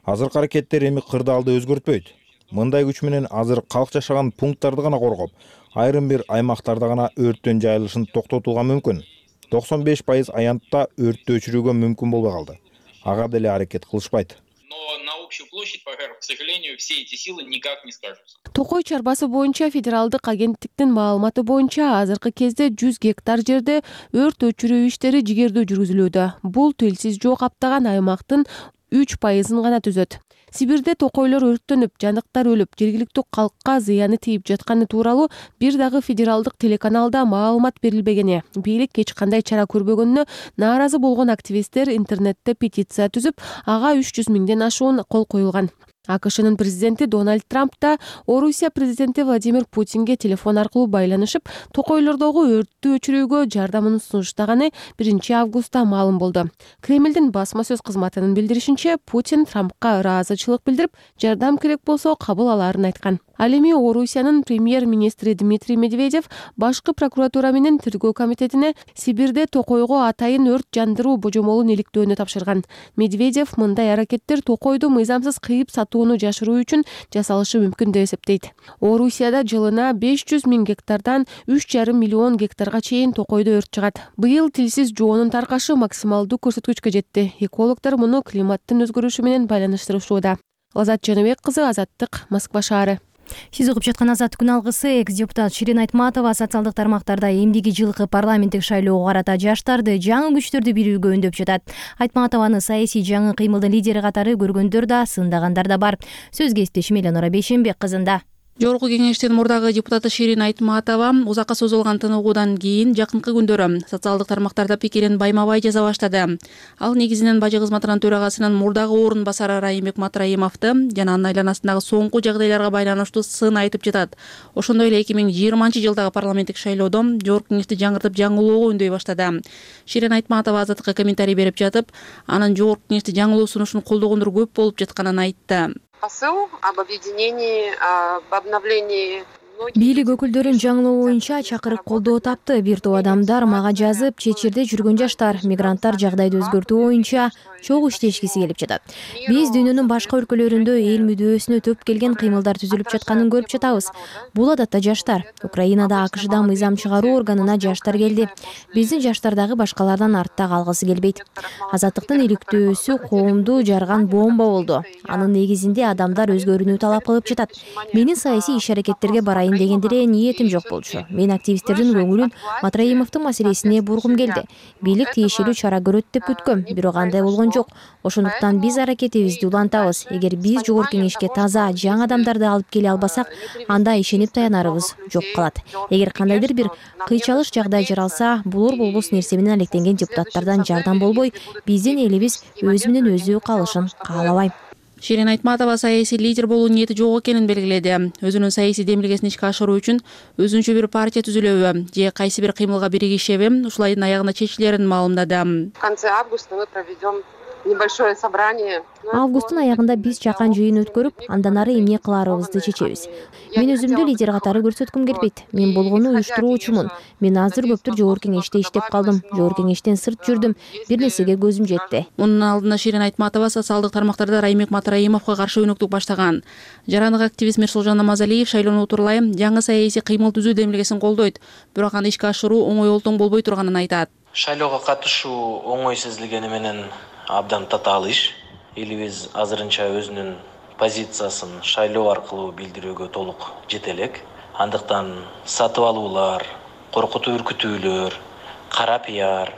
Азыркы аракеттер эми кырдаалды өзгөртпөйт. Мындай күч менен азыр калк жашаган пункттарды гана коргоп, айрым бир аймактарда гана өрттүн жайылышын токтотууга мүмкүн. токсон беш пайыз аянтта өрттү өчүрүүгө мүмкүн болбой калды. Ага деле аракет кылышпайт. Но на общую площадь пожаров, к сожалению, все эти силы никак не скажутся. Токой чарбасы боюнча федералдык агенттиктин маалыматы боюнча азыркы кезде жүз гектар жерде өрт өчүрүү иштери жигердүү жүргүзүлүүдө. Бул тилсиз жоо каптаган аймактын үч пайызын гана түзөт. Сибирде токойлор өрттөнүп, жандыктар өлүп, жергиликтүү калкка зыяны тийип жатканы тууралуу бир дагы федералдык телеканалда маалымат берилбегени, бийлик эч кандай чара көрбөгөнүнө нааразы болгон активисттер интернетте петиция түзүп, ага үч жүз миңден ашуун кол коюлган. АКШнын президенти Дональд Трамп да Орусия президенти Владимир Путинге телефон аркылуу байланышып, токойлордогу өрттү өчүрүүгө жардамын сунуштаганы биринчи августта маалым болду. Кремлдин басма сөз кызматынын билдиришинче, Путин Трампка ыраазычылык билдирип, жардам керек болсо кабыл алаарын айткан. Ал эми Орусиянын премьер-министри Дмитрий Медведев башкы прокуратура менен тергөө комитетине Сибирде токойго атайын өрт жандыруу божомолун иликтөөнү тапшырган. Медведев мындай аракеттер токойду мыйзамсыз кыйып сатууну жашыруу үчүн жасалышы мүмкүн деп эсептейт. Орусияда жылына беш жүз миң гектардан үч жарым миллион гектарга чейин токойдо өрт чыгат. Быйыл тилсиз жоонун таркашы максималдуу көрсөткүчкө жетти. Экологдор муну климаттын өзгөрүшү менен байланыштырышууда. Лазат Жаныбек кызы, Азаттык, Москва шаары. Сиз угуп жаткан Азат күн алгысы. Экс-депутат Ширин Айтматова социалдык тармактарда эмдиги жылкы парламенттик шайлоого карата жаштарды, жаңы күчтөрдү бирүүгө үндөп жатат. Айтматованы саясий жаңы кыймылдын лидери катары көргөндөр да, сындагандар да бар. Сөз кесиптешим Эленора Бейшенбек кызында. Жогорку кеңештин мурдагы депутаты Ширин Айтматова узакка созулган тыныгуудан кийин жакынкы күндөрү социалдык тармактарда пикирин байма-бай жаза баштады. Ал негизинен бажы кызматынын төрагасынын мурдагы орун басары Райымбек Матраимовду жана анын айланасындагы соңку жагдайларга байланыштуу сын айтып жатат. Ошондой эле эки миң жыйырманчы жылдагы парламенттик шайлоодо жогорку кеңешти жаңыртып жаңылоого үндөй баштады. Ширин Айтматова Азаттыкка комментарий берип жатып, анын жогорку кеңешти жаңылоо сунушун колдогондор көп болуп жатканын айтты. Посыл об объединении, об обновлении. Бийлик өкүлдөрүн жаңылоо боюнча чакырык колдоо тапты. Бир топ адамдар мага жазып, чет жерде жүргөн жаштар, мигранттар жагдайды өзгөртүү боюнча чогуу иштешкиси келип жатат. Биз дүйнөнүн башка өлкөлөрүндө эл мүдөөсүнө төп келген кыймылдар түзүлүп жатканын көрүп жатабыз. Бул адатта жаштар. Украинада АКШда мыйзам чыгаруу органына жаштар келди. Биздин жаштар дагы башкалардан артта калгысы келбейт. Азаттыктын иликтөөсү коомду жарган бомба болду. Анын негизинде адамдар өзгөрүүнү талап кылып жатат. Менин саясий иш-аракеттерге барайын деген деле ниетим жок болчу. Мен активисттердин көңүлүн Матраимовдун маселесине бургум келди. Бийлик тиешелүү чара көрөт деп күткөм, бирок андай болгон жок. Ошондуктан биз аракетибизди улантабыз. Эгер биз жогорку кеңешке таза, жаңы адамдарды алып келе албасак, анда ишенип таянарыбыз жок калат. Эгер кандайдыр бир кыйчалыш жагдай жаралса, булур болбос нерсе менен алектенген депутаттардан жардам болбой, биздин элибиз өзү менен өзү калышын каалабайм. Ширин Айтматова саясий лидер болуу ниети жок экенин белгиледи. Өзүнүн саясий демилгесин ишке ашыруу үчүн өзүнчө бир партия түзүлөбү же кайсы бир кыймылга биригишеби ушул айдын аягында чечилерин маалымдады. В конце августа мы проведем небольшое собрание. Августтун аягында биз чакан жыйын өткөрүп, андан ары эмне кыларыбызды чечебиз. Мен өзүмдү лидер катары көрсөткүм келбейт. Мен болгону уюштуруучумун. Мен азыр көптүр жогорку кеңеште иштеп калдым. Жогорку кеңештен сырт жүрдүм. Бир нерсеге көзүм жетти. Мунун алдында Ширин Айтматова социалдык тармактарда Райымбек Матраимовго каршы өнөктүк баштаган. Жарандык активист Мирсолжон Намазалиев шайлоону утурлай жаңы саясий кыймыл түзүү демилгесин колдойт. Бирок аны ишке ашыруу оңой олтоң болбой турганын айтат. Шайлоого катышуу оңой сезилгени менен абдан татаал иш. Элибиз азырынча өзүнүн позициясын шайлоо аркылуу билдирүүгө толук жете элек. Андыктан сатып алуулар, коркутуу үркүтүүлөр, кара пиар,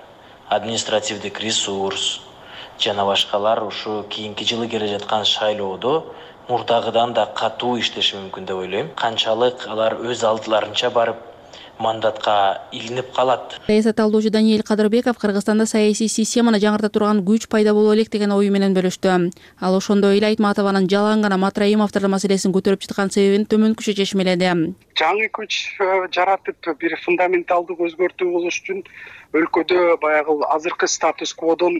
административдик ресурс жана башкалар ушу кийинки жылы келе жаткан шайлоодо мурдагыдан да катуу иштеши мүмкүн деп ойлойм. Канчалык алар өз алдыларынча барып мандатка илинип калат. Саясат талдоочу Даниэль Кадырбеков Кыргызстанда саясий системаны жаңырта турган күч пайда боло элек деген ою менен бөлүштү. Ал ошондой эле Айтматованын жалаң гана Матраимовдун маселесин көтөрүп чыккан себебин төмөнкүчө чечмеледи. Жаңы күч жаратып бир фундаменталдык өзгөртүү болуш үчүн өлкөдө баягы азыркы статус-кводон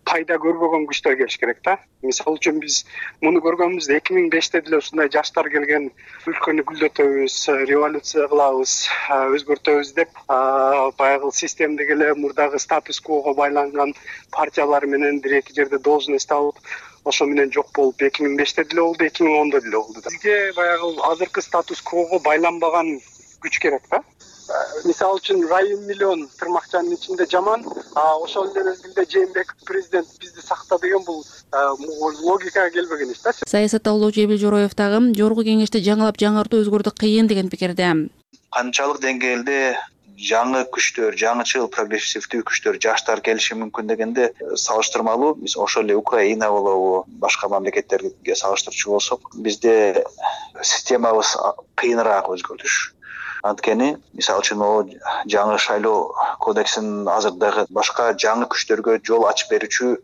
пайда көрбөгөн күчтөр келиш керек да. Мисалы үчүн биз муну көргөнбүз. эки миң беште деле ушундай жаштар келген, өлкөнү гүлдөтөбүз, революция кылабыз, өзгөртөбүз деп баягы системдеги эле мурдагы статус-квого байланган партиялар менен бир эки жерде должность алып, ошо менен жок болуп эки миң беште деле болду, эки миң ондо деле болду. Бизге баягы азыркы статус-квого байланбаган күч керек да. Мисалы үчүн Райым миллион тырмакчанын ичинде жаман, а ошол эле мезгилде Жээнбеков президент бизди сакта деген бул логикага келбеген иш да. Саясат талдоочу Эбил Жороев дагы жогорку кеңешти жаңылап жаңыртуу өзгөртүү кыйын деген пикирде. Канчалык деңгээлде жаңы күчтөр, жаңычыл прогрессивдүү күчтөр, жаштар келиши мүмкүн дегенде салыштырмалуу биз ошол эле Украина болобу, башка мамлекеттерге салыштырчу болсок, бизде системабыз кыйыныраак өзгөртүш. Анткени мисалы үчүн о жаңы шайлоо кодексин азыр дагы башка жаңы күчтөргө жол ачып берүүчү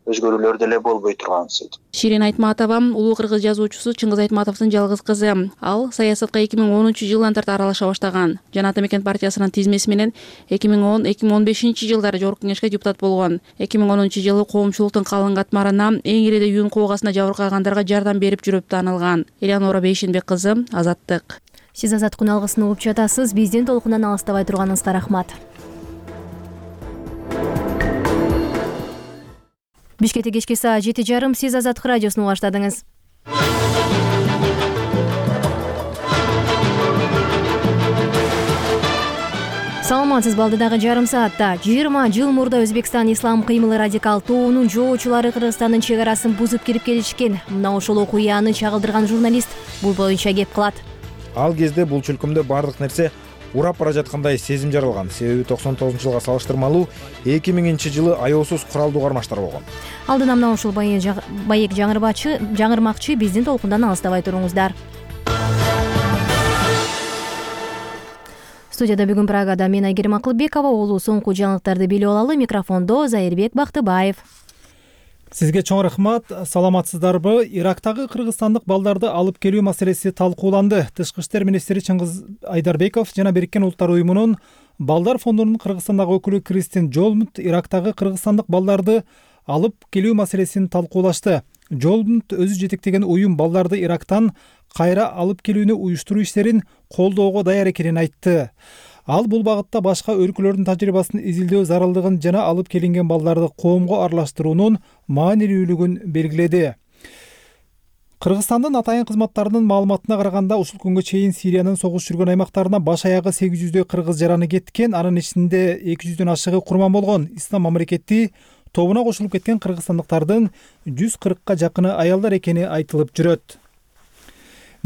өзгөрүүлөр деле болбой турган сөйт. Ширин Айтматова улуу кыргыз жазуучусу Чыңгыз Айтматовдун жалгыз кызы. Ал саясатка эки миң онунчу жылдан тарта аралаша баштаган. Жана Ата мекен партиясынын тизмеси менен эки миң он эки миң он бешинчи жылдары Жогорку Кеңешке депутат болгон. эки миң онунчу жылы коомчулуктун калың катмарына эң ириде юун куугасына жабыркагандарга жардам берип жүрүп таанылган. Элеонора Бейшенбек кызы, Азаттык. Сиз Азат Куналгысын угуп жатасыз. Биздин толкундан алыстабай турганыңызга рахмат. Бишкекте кечки саат жети жарым. Сиз Азаттык радиосун угаштадыңыз. Саламатсыз, балдыдагы жарым саатта жыйырма жыл мурда Өзбекстан ислам кыймылы радикал тобунун жоочулары Кыргызстандын чек арасын бузуп кирип келишкен. Мына ошол окуяны чагылдырган журналист бул боюнча кеп кылат. Ал кезде бул чөлкөмдө бардык нерсе урап бара жаткандай сезим жаралган. Себеби токсон тогузунчу жылга салыштырмалуу эки миңинчи жылы аяосуз куралдуу кармаштар болгон. Алдына мына ушул байек жаңырбачы жаңырмакчы биздин толкундан алыстабай туруңуздар. Студияда бүгүн Прагада мен Айгерим Акылбекова, улуу соңку жаңылыктарды билип алалы. Микрофондо Зайырбек Бактыбаев. Сизге чоң рахмат. Саламатсыздарбы? Ирактагы кыргызстандык балдарды алып келүү маселеси талкууланды. Тышкы иштер министри Чыңгыз Айдарбеков жана Бириккен Улуттар уюмунун балдар фондунун Кыргызстандагы өкүлү Кристин Жолмут Ирактагы кыргызстандык балдарды алып келүү маселесин талкуулашты. Жолмут өзү жетектеген уюм балдарды Ирактан кайра алып келүүнү уюштуруу иштерин колдоого даяр экенин айтты. Ал бул багытта башка өлкөлөрдүн тажрыйбасын изилдөө зарылдыгын жана алып келинген балдарды коомго аралаштыруунун маанилүүлүгүн белгиледи. Кыргызстандын атайын кызматтарынын маалыматына караганда ушул күнгө чейин Сириянын согуш жүргөн аймактарына баш аягы сегиз жүздөй кыргыз жараны кеткен, анын ичинде эки жүздөн ашыгы курман болгон. Ислам мамлекети тобуна кошулуп кеткен кыргызстандыктардын жүз кыркка жакыны аялдар экени айтылып жүрөт.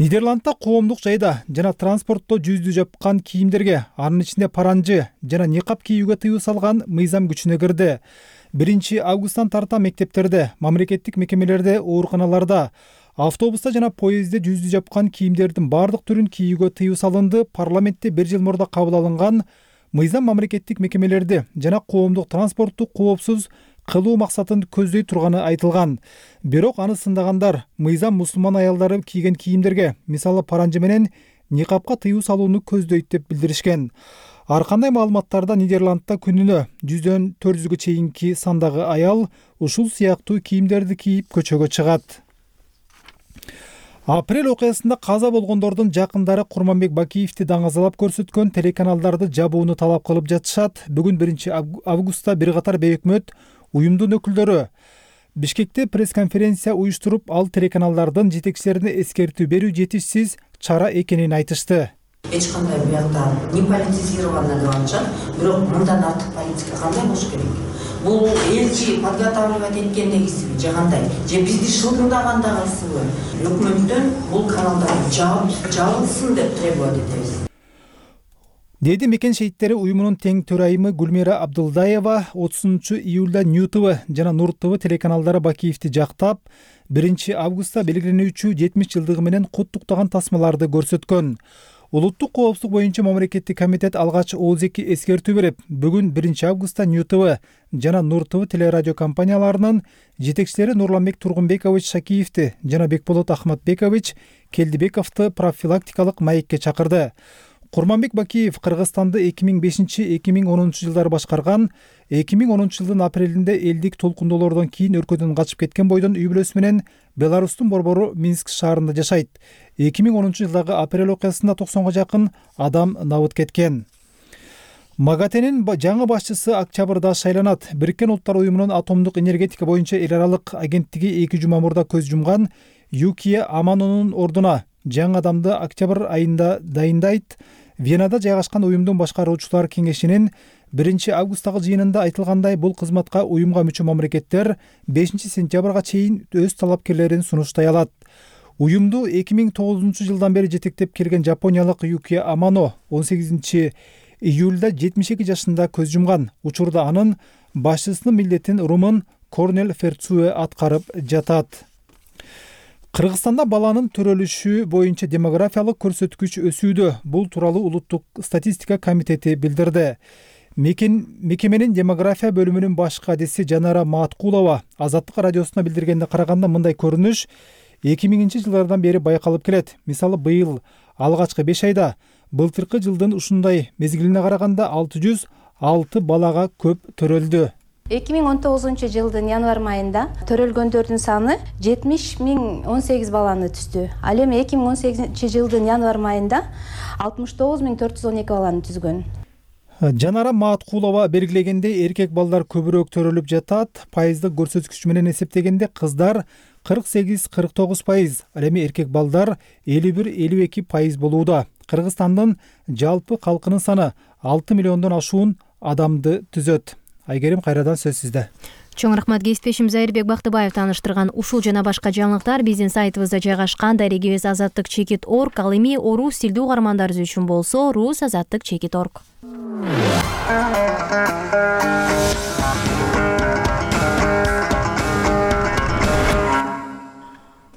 Нидерландда коомдук жайда жана транспортто жүздү жапкан кийимдерге, анын ичинде паранжы жана никап кийүүгө тыюу салган мыйзам күчүнө кирди. биринчи августтан тарта мектептерде, мамлекеттик мекемелерде, ооруканаларда, автобуста жана поездде жүздү жапкан кийимдердин бардык түрүн кийүүгө тыюу салынды. Парламентте бир жыл мурда кабыл алынган мыйзам мамлекеттик мекемелерди жана коомдук транспортту коопсуз кылуу максатын көздөй турганы айтылган. Бирок аны сындагандар мыйзам мусулман аялдары кийген кийимдерге, мисалы паранжы менен никапка тыюу салууну көздөйт деп билдиришкен. Ар кандай маалыматтарда Нидерландда күнүнө жүздөн төрт жүзгө чейинки сандагы аял ушул сыяктуу кийимдерди кийип көчөгө чыгат. Апрель окуясында каза болгондордун жакындары Курманбек Бакиевди даңазалап көрсөткөн телеканалдарды жабууну талап кылып жатышат. Бүгүн биринчи августта бир катар бейөкмөт уюмдун өкүлдөрү Бишкекте пресс-конференция уюштуруп, ал телеканалдардын жетекчилерине эскертүү берүү жетишсиз чара экенин айтышты. Эч кандай буякта не политизировано деп атышат, бирок мындан артык политика кандай болуш керек? Бул элчи подготавливать эткен негизиби же кандай? Же бизди шылдырдагандагысыбы? Өкмөттөн бул каналдарды жабылсын деп требовать этебиз. Деди Мекен шейиттери уюмунун тең төрайымы Гүлмира Абдылдаева отузунчу июлда Нью ТВ жана Нур ТВ телеканалдары Бакиевди жактап, биринчи августта белгиленүүчү жетимиш жылдыгы менен куттуктаган тасмаларды көрсөткөн. Улуттук коопсуздук боюнча мамлекеттик комитет алгач отуз эки эскертүү берип, бүгүн биринчи августта Нью ТВ жана Нур ТВ телерадио компанияларынын жетекчилери Нурланбек Тургунбекович Шакиевди жана Бекболот Ахматбекович Келдибековду профилактикалык маекке чакырды. Курманбек Бакиев Кыргызстанды эки миң бешинчи — эки миң онунчу жылдары башкарган. эки миң онунчу жылдын апрелинде элдик толкундоолордон кийин өлкөдөн качып кеткен бойдон үй бүлөсү менен Беларустун борбору Минск шаарында жашайт. эки миң онунчу жылдагы апрель окуясында токсонго жакын адам набыт кеткен. МАГАТЭнин жаңы башчысы октябрда шайланат. Бириккен Улуттар уюмунун атомдук энергетика боюнча эл аралык агенттиги эки жума мурда көз жумган Юкия Аманонун ордуна жаңы адамды октябрь айында дайындайт. Венада жайгашкан уюмдун башкаруучулар кеңешинин биринчи августтагы жыйынында айтылгандай, бул кызматка уюмга мүчө мамлекеттер бешинчи сентябрга чейин өз талапкерлерин сунуштай алат. Уюмду эки миң тогузунчу жылдан бери жетектеп келген жапониялык Юкия Амано он сегизинчи июлда жетимиш эки жашында көз жумган. Учурда анын башчысынын милдетин румын Корнел Ферцуэ аткарып жатат. Кыргызстанда баланын төрөлүшү боюнча демографиялык көрсөткүч өсүүдө. Бул тууралуу Улуттук статистика комитети билдирди. Мекеменин демография бөлүмүнүн баш кадиси Жанара Маткулова Азаттык радиосуна билдиргенде караганда мындай көрүнүш эки миңинчи жылдардан бери байкалып келет. Мисалы, быйыл алгачкы беш айда былтыркы жылдын ушундай мезгилине караганда алты жүз алты балага көп төрөлдү. эки миң он тогузунчу жылдын январь айында төрөлгөндөрдүн саны жетимиш миң он сегиз баланы түздү. Ал эми эки миң он сегизинчи жылдын январь айында алтымыш тогуз миң төрт жүз он эки баланы түзгөн. Жанара Маткулова белгилегендей, эркек балдар көбүрөөк төрөлүп жатат. Пайыздык көрсөткүч менен эсептегенде кыздар кырк сегиз кырк тогуз пайыз, ал эми эркек балдар элүү бир элүү эки пайыз болууда. Кыргызстандын жалпы калкынын саны алты миллиондон ашуун адамды түзөт. Айгерим, кайрадан сөз сизде. Чоң рахмат. Кесиптешим Зайырбек Бактыбаев тааныштырган ушул жана башка жаңылыктар биздин сайтыбызда жайгашкан. Дарегибиз азаттык чекит орг, ал эми орус тилдүү угармандарыбыз үчүн болсо рус азаттык чекит орг.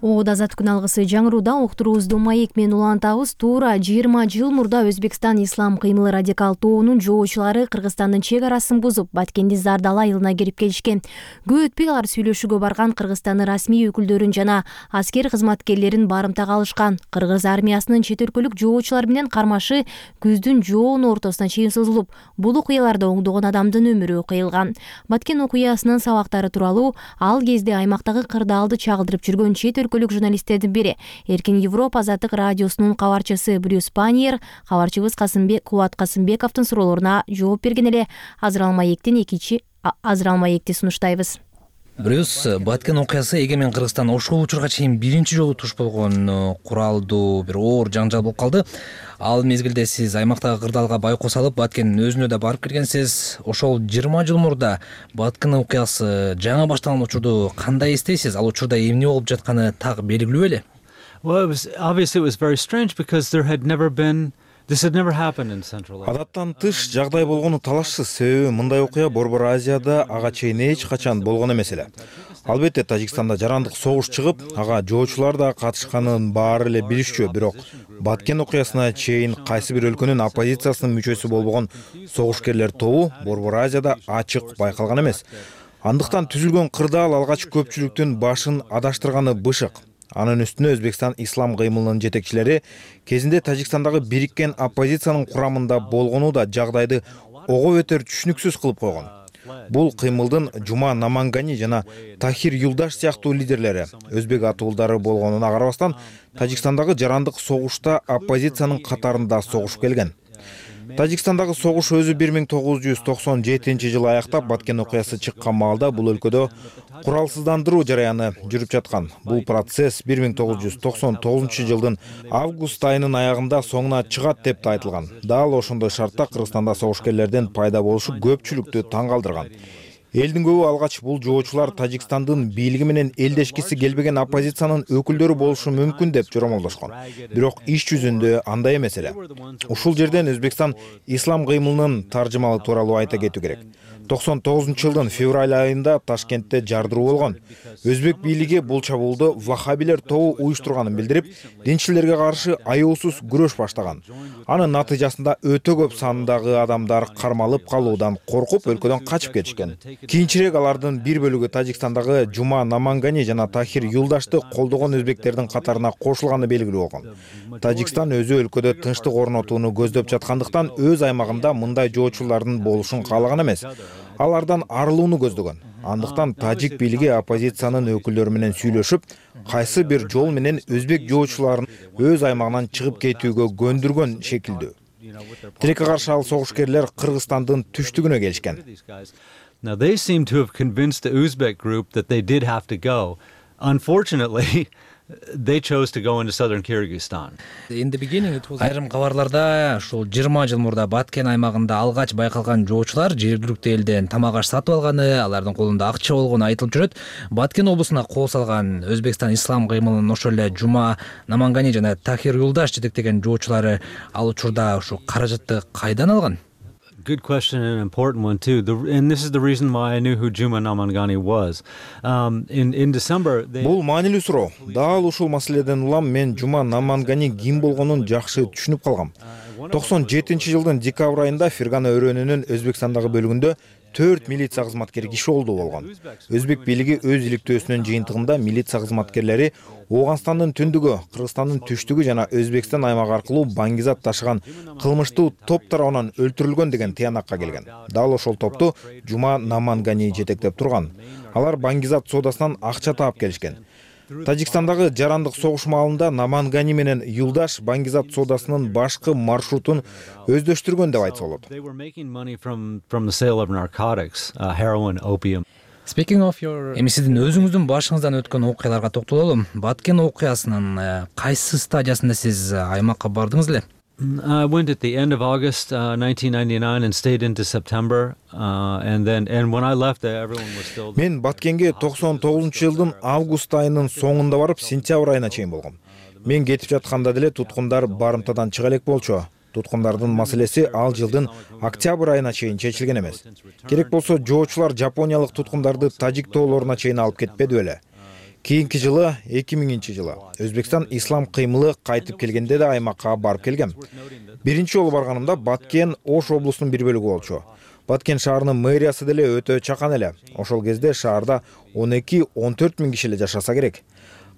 Оод азаттык күн алгысы жаңырууда уктуруубузду маек менен улантабыз. Туура жыйырма жыл мурда Өзбекстан ислам кыймыл радикал тобунун жоочулары Кыргызстандын чек арасын бузуп, Баткенди Зардал айылына кирип келишкен. Көп өтпөй алар сүйлөшүүгө барган Кыргызстандын расмий өкүлдөрүн жана аскер кызматкерлерин барымтага алышкан. Кыргыз армиясынын чет өлкөлүк жоочулар менен кармашы күздүн жоон ортосуна чейин созулуп, бул окуяларда оңдогон адамдын өмүрү кыйылган. Баткен окуясынын сабактары тууралуу ал кезде аймактагы кырдаалды чагылдырып жүргөн чет өлкөлүк журналисттердин бири Эркин Европа азаттык радиосунун кабарчысы Брюс Паниер кабарчыбыз Касымбек Кубат Касымбековдун суроолоруна жооп берген эле. Азыр ал маекти экинчи азыр ал маекти сунуштайбыз. Брюс, Баткен окуясы эгемен Кыргызстан ошол учурга чейин биринчи жолу туш болгон куралдуу бир оор жаңжал болуп калды. Ал мезгилде сиз аймактагы кырдаалга байкоо салып, Баткендин өзүнө да барып келгенсиз. Ошол жыйырма жыл мурда Баткен окуясы жаңы башталган учурду кандай эстейсиз? Ал учурда эмне болуп жатканы так белгилүү беле? Well, it was obviously it was very strange because there had never been This had never happened in Central Asia. Адаттан тыш жагдай болгону талашсыз, себеби мындай окуя Борбор Азияда ага чейин эч качан болгон эмес эле. Албетте Тажикстанда жарандык согуш чыгып, ага жоочулар да катышканын баары эле билишчү, бирок Баткен окуясына чейин кайсы бир өлкөнүн оппозициясынын мүчөсү болбогон согушкерлер тобу Борбор Азияда ачык байкалган эмес. Андыктан түзүлгөн кырдаал алгач көпчүлүктүн башын адаштырганы бышык. Анын үстүнө Өзбекстан ислам кыймылынын жетекчилери кезинде Тажикстандагы бириккен оппозициянын курамында болгону да жагдайды ого бетер түшүнүксүз кылып койгон. Бул кыймылдын Жума Намангани жана Тахир Юлдаш сыяктуу лидерлери өзбек атуулдары болгонуна карабастан Тажикстандагы жарандык согушта оппозициянын катарында согушуп келген. Тажикстандагы согуш өзү бир миң тогуз жүз токсон жетинчи жылы аяктап, Баткен окуясы чыккан маалда бул өлкөдө куралсыздандыруу жараяны жүрүп жаткан. Бул процесс бир миң тогуз жүз токсон тогузунчу жылдын август айынын аягында соңуна чыгат деп да айтылган. Дал ошондой шартта Кыргызстанда согушкерлердин пайда болушу көпчүлүктү таң калтырган. Элдин көбү алгач бул жоочулар Тажикстандын бийлиги менен элдешкиси келбеген оппозициянын өкүлдөрү болушу мүмкүн деп жоромолдошкон. Бирок иш жүзүндө андай эмес эле. Ушул жерден Өзбекстан ислам кыймылынын таржымалы тууралуу айта кетүү керек. токсон тогузунчу жылдын февраль айында Ташкентте жардыруу болгон. Өзбек бийлиги бул чабуулду вахабилер тобу уюштурганын билдирип, динчилерге каршы аяусуз күрөш баштаган. Анын натыйжасында өтө көп сандагы адамдар кармалып калуудан коркуп өлкөдөн качып кетишкен. Кийинчерээк алардын бир бөлүгү Тажикстандагы Жума Намангани жана Тахир Юлдашты колдогон өзбектердин катарына кошулганы белгилүү болгон. Тажикстан өзү өлкөдө тынчтык орнотууну көздөп жаткандыктан өз аймагында мындай жоочулардын болушун каалаган эмес. Алардан арылууну көздөгөн. Андыктан тажик бийлиги оппозициянын өкүлдөрү менен сүйлөшүп, кайсы бир жол менен өзбек жоочуларын өз аймагынан чыгып кетүүгө көндүргөн шекилдүү. Тилекке каршы ал согушкерлер Кыргызстандын түштүгүнө келишкен. Now they seem to have convinced the Uzbek group that they did have to go. Unfortunately, they chose to go into southern Kyrgyzstan. In the beginning it was Айрым кабарларда ушул жыйырма жыл мурда Баткен аймагында алгач байкалган жоочулар жергиликтүү элден тамак аш сатып алганы, алардын колунда акча болгону айтылып жүрөт. Баткен облусуна кол салган Өзбекстан ислам кыймылынын ошол эле Жума Намангани жана Тахир Юлдаш жетектеген жоочулары ал учурда ушу каражатты кайдан алган? Good question and an important one too. The, and this is the reason why I knew who Juma Namangani was. Um, in in December, they... Бул маанилүү суроо. Дал ушул маселеден улам мен Жума Намангани ким болгонун жакшы түшүнүп калгам. токсон жетинчи жылдын декабрь айында Фергана өрөөнүнүн Өзбекстандагы бөлүгүндө төрт милиция кызматкери киши олду болгон. Өзбек бийлиги өз иликтөөсүнүн жыйынтыгында милиция кызматкерлери Ооганстандын түндүгү, Кыргызстандын түштүгү жана Өзбекстан аймагы аркылуу баңгизат ташыган кылмыштуу топ тарабынан өлтүрүлгөн деген тыянакка келген. Дал ошол топту Жума Намангани жетектеп турган. Алар баңгизат соодасынан акча таап келишкен. Тажикстандагы жарандык согуш маалында Намангани менен Юлдаш баңгизат соодасынын башкы маршрутун өздөштүргөн деп айтса болот. Эми сиздин өзүңүздүн башыңыздан өткөн окуяларга токтололу. Баткен окуясынын кайсы стадиясында сиз аймакка бардыңыз эле? I went at the end of August uh, nineteen ninety-nine and stayed into September uh, and then and when I left everyone was still. Мен Баткенге токсон тогузунчу жылдын август айынын соңунда барып, сентябрь айына чейин болгом. Мен кетип жатканда деле туткундар барымтадан чыга элек болчу. Туткундардын маселеси ал жылдын октябрь айына чейин чечилген эмес. Керек болсо жоочулар жапониялык туткундарды Тажик тоолоруна чейин алып кетпеди беле. Кийинки жылы эки миңинчи жылы Өзбекстан ислам кыймылы кайтып келгенде да аймакка барып келгем. Биринчи жолу барганымда Баткен Ош облусунун бир бөлүгү болчу. Баткен шаарынын мэриясы деле өтө чакан эле. Ошол кезде шаарда он эки он төрт миң киши эле жашаса керек.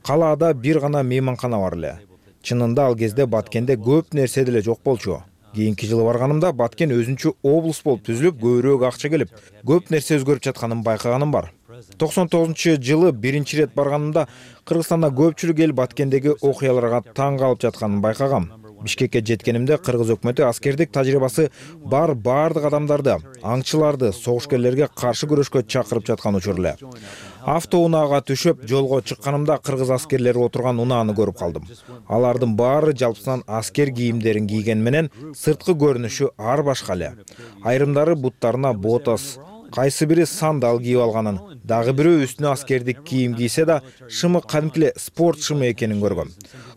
Калаада бир гана мейманкана бар эле. Чынында ал кезде Баткенде көп нерсе деле жок болчу. Кийинки жылы барганымда Баткен өзүнчө облус болуп түзүлүп, көбүрөөк акча келип, көп нерсе өзгөрүп жатканын байкаганым бар. токсон тогузунчу жылы биринчи ирет барганымда Кыргызстанда көпчүлүк эл Баткендеги окуяларга таң калып жатканын байкагам. Бишкекке жеткенимде Кыргыз өкмөтү аскердик тажрыйбасы бар бардык адамдарды, аңчыларды согушкерлерге каршы күрөшкө чакырып жаткан учур эле. Автоунаага түшүп жолго чыкканымда кыргыз аскерлери отурган унааны көрүп калдым. Алардын баары жалпысынан аскер кийимдерин кийген менен сырткы көрүнүшү ар башка эле. Айрымдары буттарына ботас, кайсы бири сандал кийип алганын, дагы бирөө үстүнө аскердик кийим кийсе да шымы кадимкиле спорт шымы экенин көргөм.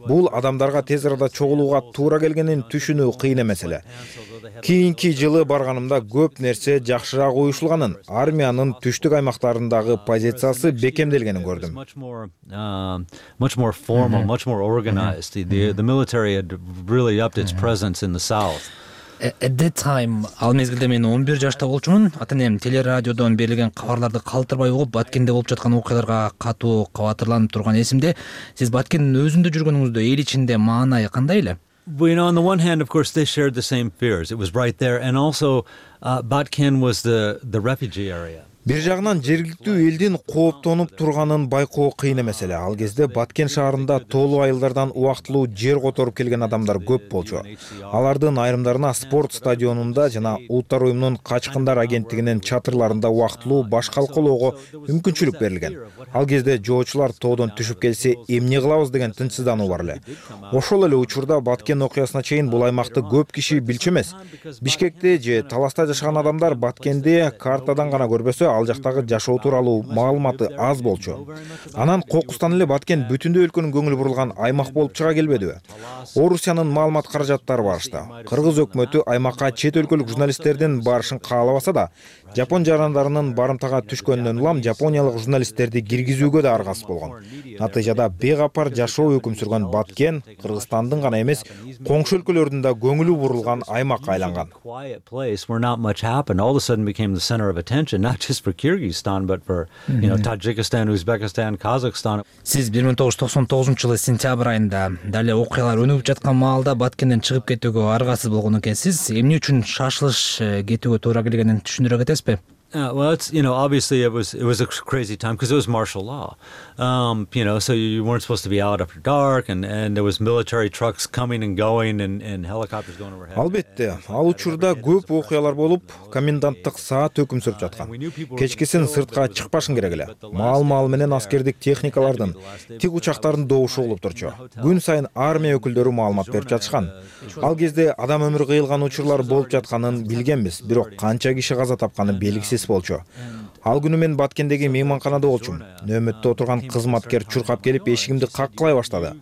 Бул адамдарга тез арада чогулууга туура келгенин түшүнүү кыйын эмес эле. Кийинки жылы барганымда көп нерсе жакшыраак уюшулганын, армиянын түштүк аймактарындагы позициясы бекемделгенин көрдүм. Much more formal, much more organized. The the military had really upped its presence in the south. At that time, ал мезгилде мен он бир жашта болчумун. Ата-энем телерадиодон берилген кабарларды калтырбай угуп, Баткенде болуп жаткан окуяларга катуу кабатырланып турган эсимде. Сиз Баткендин өзүндө жүргөнүңүздө эл ичинде маанай кандай эле? You know, on the one hand, of course, they shared the same fears. It was right there, and also uh, Batken was the the refugee area. Бир жагынан жергиликтүү элдин кооптонуп турганын байкоо кыйын эмес эле. Ал кезде Баткен шаарында тоолуу айылдардан убактылуу жер которуп келген адамдар көп болчу. Алардын айрымдарына спорт стадионунда жана Улуттар уюмунун качкындар агенттигинин чатырларында убактылуу баш калкалоого мүмкүнчүлүк берилген. Ал кезде жоочулар тоодон түшүп келсе эмне кылабыз деген тынчсыздануу бар эле. Ошол эле учурда Баткен окуясына чейин бул аймакты көп киши билчү эмес. Бишкекте же Таласта жашаган адамдар Баткенди картадан гана көрбөсө, ал жактагы жашоо тууралуу маалыматы аз болчу. Анан кокустан эле Баткен бүтүндөй өлкөнүн көңүлү бурулган аймак болуп чыга келбедиби? Орусиянын маалымат каражаттары барышты. Кыргыз өкмөтү аймакка чет өлкөлүк журналисттердин барышын каалабаса да, Жапон жарандарынын барымтага түшкөнүнөн улам жапониялык журналисттерди киргизүүгө да аргасыз болгон. Натыйжада бейкапар жашоо өкүм сүргөн Баткен Кыргызстандын гана эмес, коңшу өлкөлөрдүн да көңүлү бурулган аймакка айланган. For Kyrgyzstan, but for you know Tajikistan, Uzbekistan, Kazakhstan. Сиз бир миң тогуз жүз токсон тогузунчу жылы сентябрь айында дале окуялар өнүгүп жаткан маалда Баткенден чыгып кетүүгө аргасыз болгон экенсиз. Эмне үчүн шашылыш кетүүгө туура келгенин түшүндүрө кетесизби? Uh, well, it's, you know, obviously it was it was a crazy time because it was martial law. Um, you know, so you weren't supposed to be out after dark, and and there was military trucks coming and going, and and helicopters going overhead. Албетте, ал учурда көп окуялар болуп, коменданттык саат өкүм сүрүп жаткан. Кечкисин сыртка чыкпашың керек эле. Маал-маал менен аскердик техникалардын, тик учактардын добушу болуп турчу. Күн сайын армия өкүлдөрү маалымат берип жатышкан. Ал кезде адам өмүрү кыйылган учурлар болуп жатканын билгенбиз, бирок канча киши каза тапканы белгисиз болчу. Ал күнү мен Баткендеги мейманканада болчумун. Нөөмөттө отурган кызматкер чуркап келип эшигимди каккылай баштады.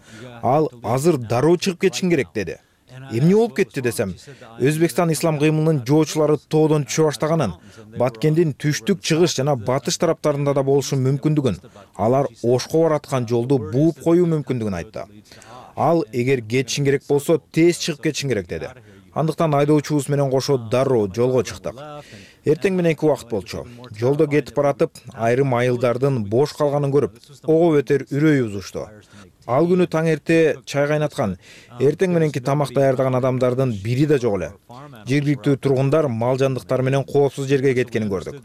Ал азыр дароо чыгып кетишиң керек деди. эмне болуп кетти десем, Өзбекстан ислам кыймылынын жоочулары тоодон түшө баштаганын, Баткендин түштүк, чыгыш жана батыш тараптарында да болушу мүмкүндүгүн, алар Ошко бараткан жолду бууп коюу мүмкүндүгүн айтты. Ал эгер кетишиң керек болсо, тез чыгып кетишиң керек деди. Андыктан айдоочубуз менен кошо дароо жолго чыктык. Эртең мененки убакыт болчу. Жолдо кетип баратып, айрым айылдардын бош калганын көрүп, ого бетер үрөйүбүз учту. Ал күнү таң эрте чай кайнаткан, эртең мененки тамак даярдаган адамдардын бири да жок эле. Жергиликтүү тургундар мал жандыктар менен коопсуз жерге кеткенин көрдүк.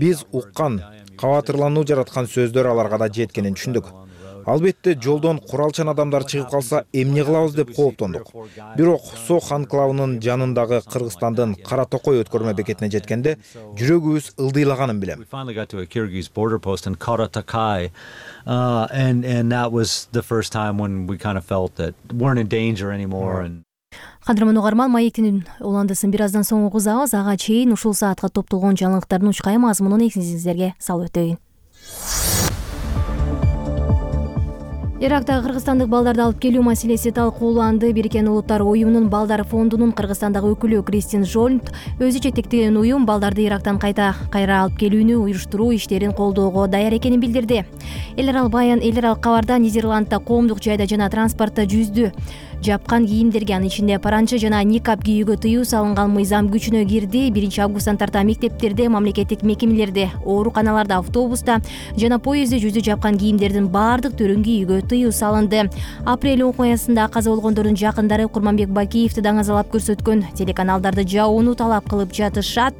Биз уккан, кабатырлануу жараткан сөздөр аларга да жеткенин түшүндүк. Албетте, жолдон куралчан адамдар чыгып калса эмне кылабыз деп кооптондук. Бирок Сох анклавынын жанындагы Кыргызстандын Кара Токой өткөрмө бекетине жеткенде жүрөгүбүз ылдыйлаганын билем. Uh, and and that was the first time when we kind of felt that weren't in danger anymore. And Кадырман угарман, маектин уландысын бир аздан соң угузабыз. Ага чейин ушул саатка топтолгон жаңылыктардын учкай мазмунун эсиңизерге салып өтөйүн. Иракта кыргызстандык балдарды алып келүү маселеси талкууланды. Бириккен Улуттар уюмунун балдар фондунун Кыргызстандагы өкүлү Кристин Жолнт өзү жетектеген уюм балдарды Ирактан кайта кайра алып келүүнү уюштуруу иштерин колдоого даяр экенин билдирди. Эл аралык баян эл аралык кабарда Нидерландда коомдук жайда жана транспортто жүздү жапкан кийимдерге, анын ичинде паранча жана никап кийүүгө тыюу салынган мыйзам күчүнө кирди. биринчи августтан тарта мектептерде, мамлекеттик мекемелерде, ооруканаларда, автобуста жана поездде жүздү жапкан кийимдердин баардык түрүн кийүүгө тыюу салынды. Апрель окуясында каза болгондордун жакындары Курманбек Бакиевди даңазалап көрсөткөн телеканалдарды жабууну талап кылып жатышат.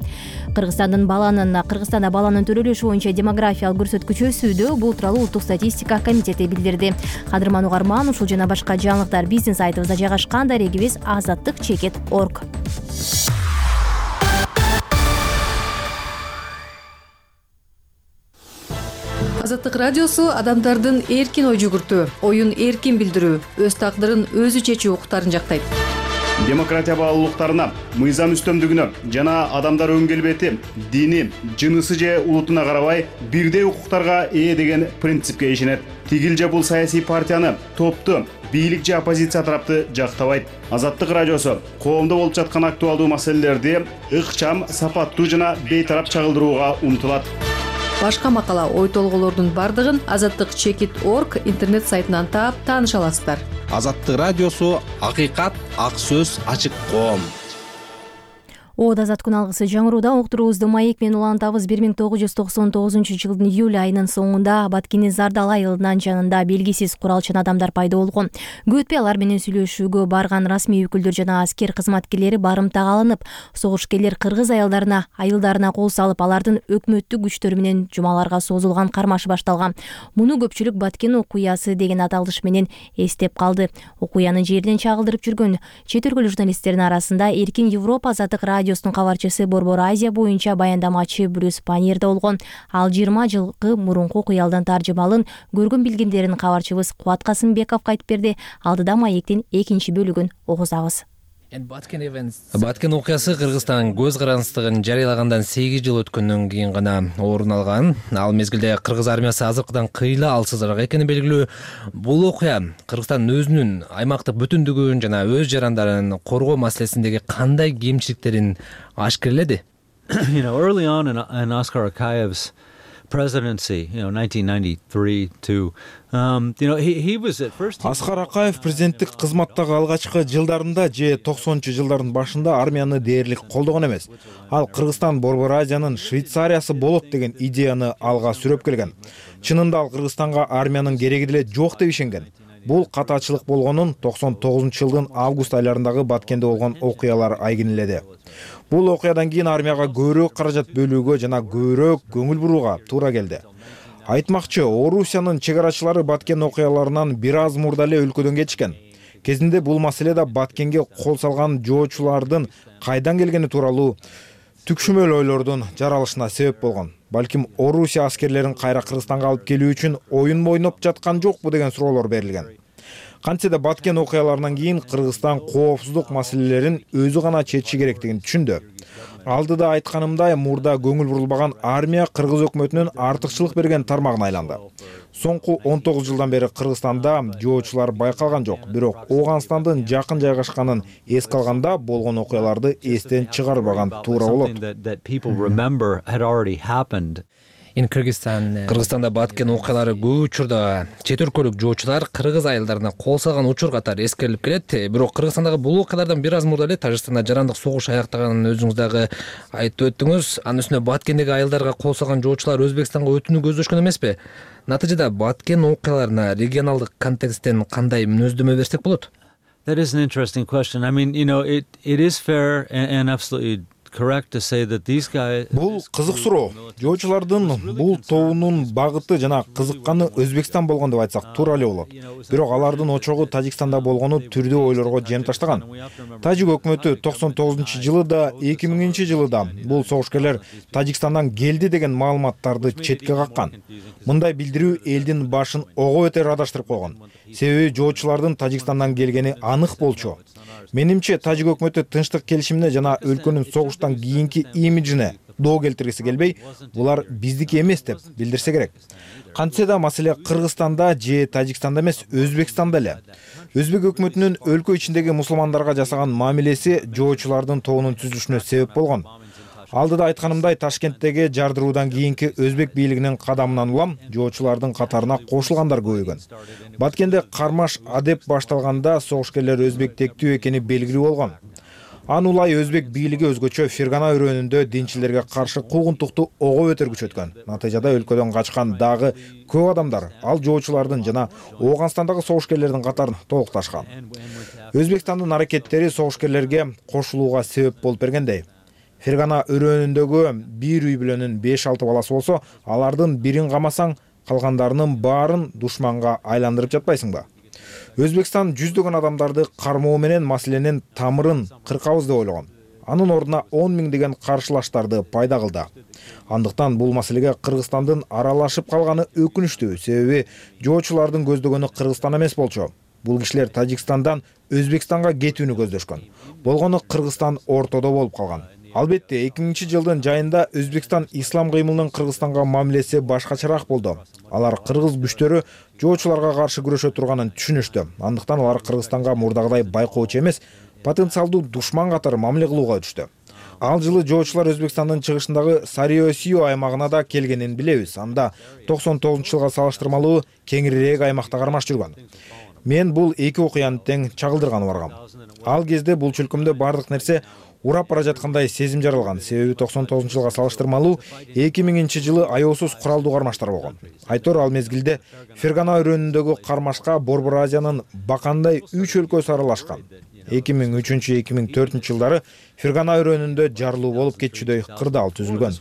Кыргызстандын баланын Кыргызстанда баланын төрөлүшү боюнча демографиялык көрсөткүчү өсүүдө. Бул тууралуу Улуттук статистика комитети билдирди. Кадырман угарман, ушул жана башка жаңылыктар биздин сайтыбызда жайгашкан. Дарегибиз азаттык чекит точка орг. Азаттык радиосу адамдардын эркин ой жүгүртүү, оюн эркин билдирүү, өз тагдырын өзү чечүү укуктарын жактайт. Демократия баалуулуктарына, мыйзам үстөмдүгүнө жана адамдар өн келбети, дини, жынысы же улутуна карабай бирдей укуктарга ээ деген принципке ишенет. Тигил же бул саясий партияны, топту, бийлик же оппозиция тарапты жактабайт. Азаттык радиосу коомдо болуп жаткан актуалдуу маселелерди ыкчам, сапаттуу жана бейтарап чагылдырууга умтулат. Башка макала, ой толголордун бардыгын азаттык чекит точка орг интернет сайтынан таап тааныша аласыздар. Азаттык радиосу акыйкат, ак сөз, ачык коом. Ода азат күн алгысы жаңырууда уктуруубузду маек менен улантабыз. бир миң тогуз жүз токсон тогузунчу жылдын июль айынын соңунда Баткендин Зардал айылынын жанында белгисиз куралчан адамдар пайда болгон. Көп өтпөй алар менен сүйлөшүүгө барган расмий өкүлдөр жана аскер кызматкерлери барымтага алынып, согушкерлер кыргыз аялдарына, айылдарына кол салып, алардын өкмөттүк күчтөр менен жумаларга созулган кармаш башталган. Муну көпчүлүк Баткен окуясы деген аталыш менен эстеп калды. Окуяны жерден чагылдырып жүргөн чет өлкөлүк журналисттердин арасында Эркин Европа азаттык радиосунун кабарчысы Борбор Азия боюнча баяндамачы Брюс Паньер да болгон. Ал жыйырма жылкы мурунку окуялдын таржымалын көргөн билгендерин кабарчыбыз Кубат Касымбековго айтып берди. Алдыда маектин экинчи бөлүгүн угузабыз. Баткен окуясы Кыргызстан көз карандыстыгын жарыялагандан сегиз жыл өткөндөн кийин гана орун алган. Ал мезгилде кыргыз армиясы азыркыдан кыйла алсызыраак экени белгилүү. Бул окуя Кыргызстан өзүнүн аймактык бүтүндүгүн жана өз жарандарын коргоо маселесиндеги кандай кемчиликтерин ашкерледи? You know, early on in, in Oskar Akaev's presidency, you know, nineteen ninety-three to Um, you know, he, he was at first... Аскар Акаев президенттик кызматтагы алгачкы жылдарында же токсонунчу жылдардын башында армияны дээрлик колдогон эмес. Ал Кыргызстан Борбор Азиянын Швейцариясы болот деген идеяны алга сүрөп келген. Чынында ал Кыргызстанга армиянын кереги деле жок деп ишенген. Бул катачылык болгонун токсон тогузунчу жылдын август айларындагы Баткенде болгон окуялар айгинеледи. Бул окуядан кийин армияга көбүрөөк каражат бөлүүгө жана көбүрөөк көңүл бурууга туура келди. Айтмакчы, Орусиянын чегарачылары Баткен окуяларынан бир аз мурда эле өлкөдөн кетишкен. Кезинде бул маселеде Баткенге кол салган жоочулардын кайдан келгени тууралуу түкшүмөл ойлордун жаралышына себеп болгон. Балким Орусия аскерлерин кайра Кыргызстанга алып келүү үчүн оюн ойноп жаткан жокпу деген суроолор берилген. Кантсе да Баткен окуяларынан кийин Кыргызстан коопсуздук маселелерин өзү гана чечиши керектигин түшүндү. Алдыда айтканымдай, мурда көңүл бурулбаган армия Кыргыз өкмөтүнүн артыкчылык берген тармагына айланды. Соңку он тогуз жылдан бери Кыргызстанда жоочулар байкалган жок, бирок Ооганстандын жакын жайгашканын эске алганда болгон окуяларды эстен чыгарбаган туура болот. Кыргызстанда Баткен окуялары көп учурда чет өлкөлүк жоочулар кыргыз айылдарына кол салган учур катары эскерилип келет. Бирок Кыргызстандагы бул окуялардан бир аз мурда эле Тажикстанда жарандык согуш аяктаганын өзүңүз дагы айтып өттүңүз. Анын үстүнө Баткендеги айылдарга кол салган жоочулар Өзбекстанга өтүүнү көздөшкөн эмеспи? Натыйжада Баткен окуяларына регионалдык контексттен кандай мүнөздөмө берсек болот? That is an interesting question. I mean, you know, it it is fair and, and absolutely correct to say that these guys. Бул кызык суроо. Жоочулардын бул тобунун багыты жана кызыкканы Өзбекстан болгон деп айтсак туура эле болот. Бирок алардын очогу Тажикстанда болгону түрдүү ойлорго жем таштаган. Тажик өкмөтү токсон тогузунчу жылы да, эки миңинчи жылы да бул согушкерлер Тажикстандан келди деген маалыматтарды четке каккан. Мындай билдирүү элдин башын ого бетер адаштырып койгон. Себеби жоочулардын Тажикстандан келгени анык болчу. Менимче, Тажик өкмөтү тынчтык келишимине жана өлкөнүн согуштан кийинки имиджине доо келтиргиси келбей, булар биздики эмес деп билдирсе керек. Кантсе да маселе Кыргызстанда же Тажикстанда эмес, Өзбекстанда эле. Өзбек өкмөтүнүн өлкө ичиндеги мусулмандарга жасаган мамилеси жоочулардын тобунун түзүлүшүнө себеп болгон. Алдыда айтканымдай, Ташкенттеги жардыруудан кийинки Өзбек бийлигинин кадамынан улам жоочулардын катарына кошулгандар көбөйгөн. Баткенде кармаш адеп башталганда согушкерлер өзбектектүү экени белгилүү болгон. Аны улай Өзбек бийлиги өзгөчө Фергана өрөөнүндө динчилерге каршы куугунтукту ого бетер күчөткөн. Натыйжада өлкөдөн качкан дагы көп адамдар ал жоочулардын жана Ооганстандагы согушкерлердин катарын толукташкан. Өзбекстандын аракеттери согушкерлерге кошулууга себеп болуп бергендей. Фергана өрөөнүндөгү бир үй бүлөнүн беш алты баласы болсо, алардын бирин камасаң, калгандарынын баарын душманга айландырып жатпайсыңбы? Өзбекстан жүздөгөн адамдарды кармоо менен маселенин тамырын кыркабыз деп ойлогон. Анын ордуна он миң деген каршылаштарды пайда кылды. Андыктан бул маселеге Кыргызстандын аралашып калганы өкүнүчтүү, себеби жоочулардын көздөгөнү Кыргызстан эмес болчу. Бул кишилер Тажикстандан Өзбекстанга кетүүнү көздөшкөн. Болгону Кыргызстан ортодо болуп калган. Албетте, эки миңинчи жылдын жайында Өзбекстан ислам кыймылынын Кыргызстанга мамилеси башкачараак болду. Алар кыргыз күчтөрү жоочуларга каршы күрөшө турганын түшүнүштү. Андыктан алар Кыргызстанга мурдагыдай байкоочу эмес, потенциалдуу душман катары мамиле кылууга өтүштү. Ал жылы жоочулар Өзбекстандын чыгышындагы Сариосио аймагына да келгенин билебиз. Анда токсон тогузунчу жылга салыштырмалуу кеңирээк аймакта кармаш жүргөн. Мен бул эки окуяны тең чагылдырганы баргам. Ал кезде бул чөлкөмдө бардык нерсе урап бара жаткандай сезим жаралган. Себеби токсон тогузунчу жылга салыштырмалуу эки миңинчи жылы аеосуз куралдуу кармаштар болгон. Айтор ал мезгилде Фергана өрөөнүндөгү кармашка Борбор Азиянын бакандай үч өлкөсү аралашкан. эки миң үчүнчү эки миң төртүнчү жылдары Фергана өрөөнүндө жарылуу болуп кетчүдөй кырдаал түзүлгөн.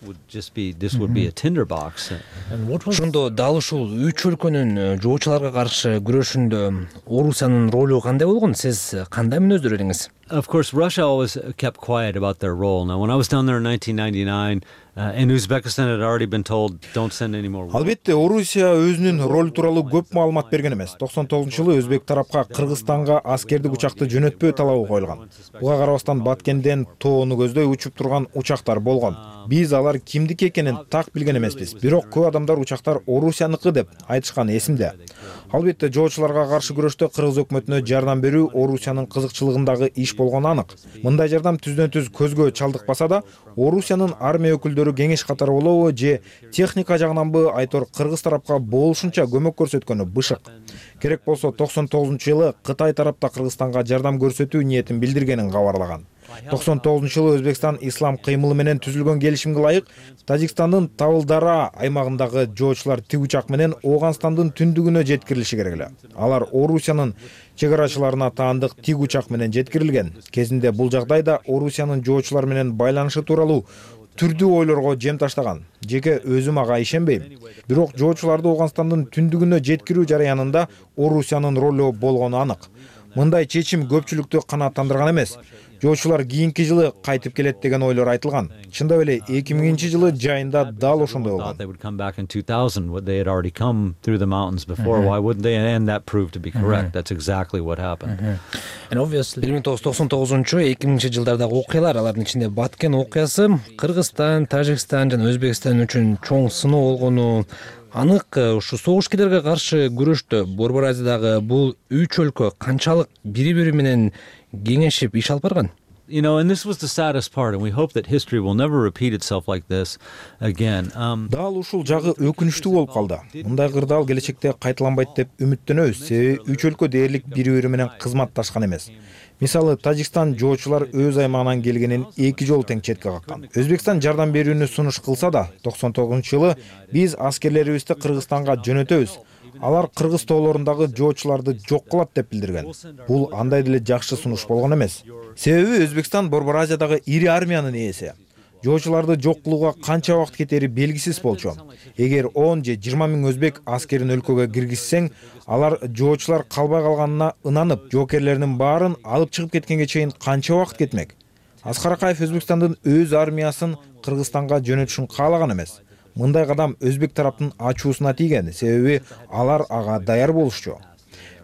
Ошондо дал ушул үч өлкөнүн жоочуларга каршы күрөшүндө Орусиянын ролу кандай болгон? Сиз кандай мүнөздөр элиңиз? Of course, Russia always kept quiet about their role. Now, when I was down there in nineteen ninety-nine, uh, and Uzbekistan had already been told, don't send any more. Албетте, Орусия өзүнүн ролу тууралуу көп маалымат берген эмес. токсон тогузунчу жылы Өзбек тарапка Кыргызстанга аскердик учакты жөнөтпөө талабы коюлган. Буга карабастан Баткенден тоону көздөй учуп турган учактар болгон. Биз алар кимдики экенин так билген эмеспиз. Бирок көп адамдар учактар Орусияныкы деп айтышкан эсимде. Албетте, жоочуларга каршы күрөштө Кыргыз өкмөтүнө жардам берүү Орусиянын кызыкчылыгындагы иш болгону анык. Мындай жардам түздөн-түз көзгө чалдыкпаса да, Орусиянын армия өкүлдөрү кеңеш катары болобу же техника жагынанбы айтор Кыргыз тарапка болушунча көмөк көрсөткөнү бышык. Керек болсо токсон тогузунчу жылы Кытай тарапта Кыргызстанга жардам көрсөтүү ниетин билдиргенин кабарлаган. токсон тогузунчу жылы Өзбекстан ислам кыймылы менен түзүлгөн келишимге ылайык Тажикстандын Тавылдара аймагындагы жоочулар тик учак менен Ооганстандын түндүгүнө жеткирилиши керек эле. Алар Орусиянын чегарачыларына таандык тик учак менен жеткирилген. Кезинде бул жагдайда Орусиянын жоочулар менен байланышы тууралуу түрдүү ойлорго жем таштаган. Жеке өзүм ага ишенбейм. Бирок жоочуларды Ооганстандын түндүгүнө жеткирүү жараянында Орусиянын ролу болгону анык. Мындай чечим көпчүлүктү канааттандырган эмес. жоочулар кийинки жылы кайтып келет деген ойлор айтылган. Чындап эле эки миңинчи жылы жайында дал ошондой болгон. бир миң тогуз жүз токсон тогузунчу эки миңинчи жылдардагы окуялар, алардын ичинде Баткен окуясы Кыргызстан, Тажикстан жана Өзбекстан үчүн чоң сыноо болгону анык. Ушу согушкерлерге каршы күрөштө Борбор Азиядагы бул үч өлкө канчалык бири-бири менен кеңешип иш алып барган? You know, and this was the saddest part, and we hope that history will never repeat itself like this again. Um, Дал ушул жагы өкүнүчтүү болуп калды. Мындай кырдаал келечекте кайталанбайт деп үмүттөнөбүз. Себеби үч өлкө дээрлик бири-бири менен кызматташкан эмес. Мисалы, Тажикстан жоочулар өз аймагынан келгенин эки жолу тең четке каккан. Өзбекстан жардам берүүнү сунуш кылса да, токсон тогузунчу жылы биз аскерлерибизди Кыргызстанга жөнөтөбүз. Алар кыргыз тоолорундагы жоочуларды жок кылат деп билдирген. Бул андай деле жакшы сунуш болгон эмес. Себеби Өзбекстан Борбор Азиядагы ири армиянын ээси. Жоочуларды жок кылууга канча убакыт кетери белгисиз болчу. Эгер он же жыйырма миң өзбек аскерин өлкөгө киргизсең, алар жоочулар калбай калганына ынанып, жоокерлеринин баарын алып чыгып кеткенге чейин канча убакыт кетмек? Аскар Акаев Өзбекстандын өз армиясын Кыргызстанга жөнөтүшүн каалаган эмес. Мындай кадам өзбек тараптын ачуусуна тийген, себеби алар ага даяр болушчу.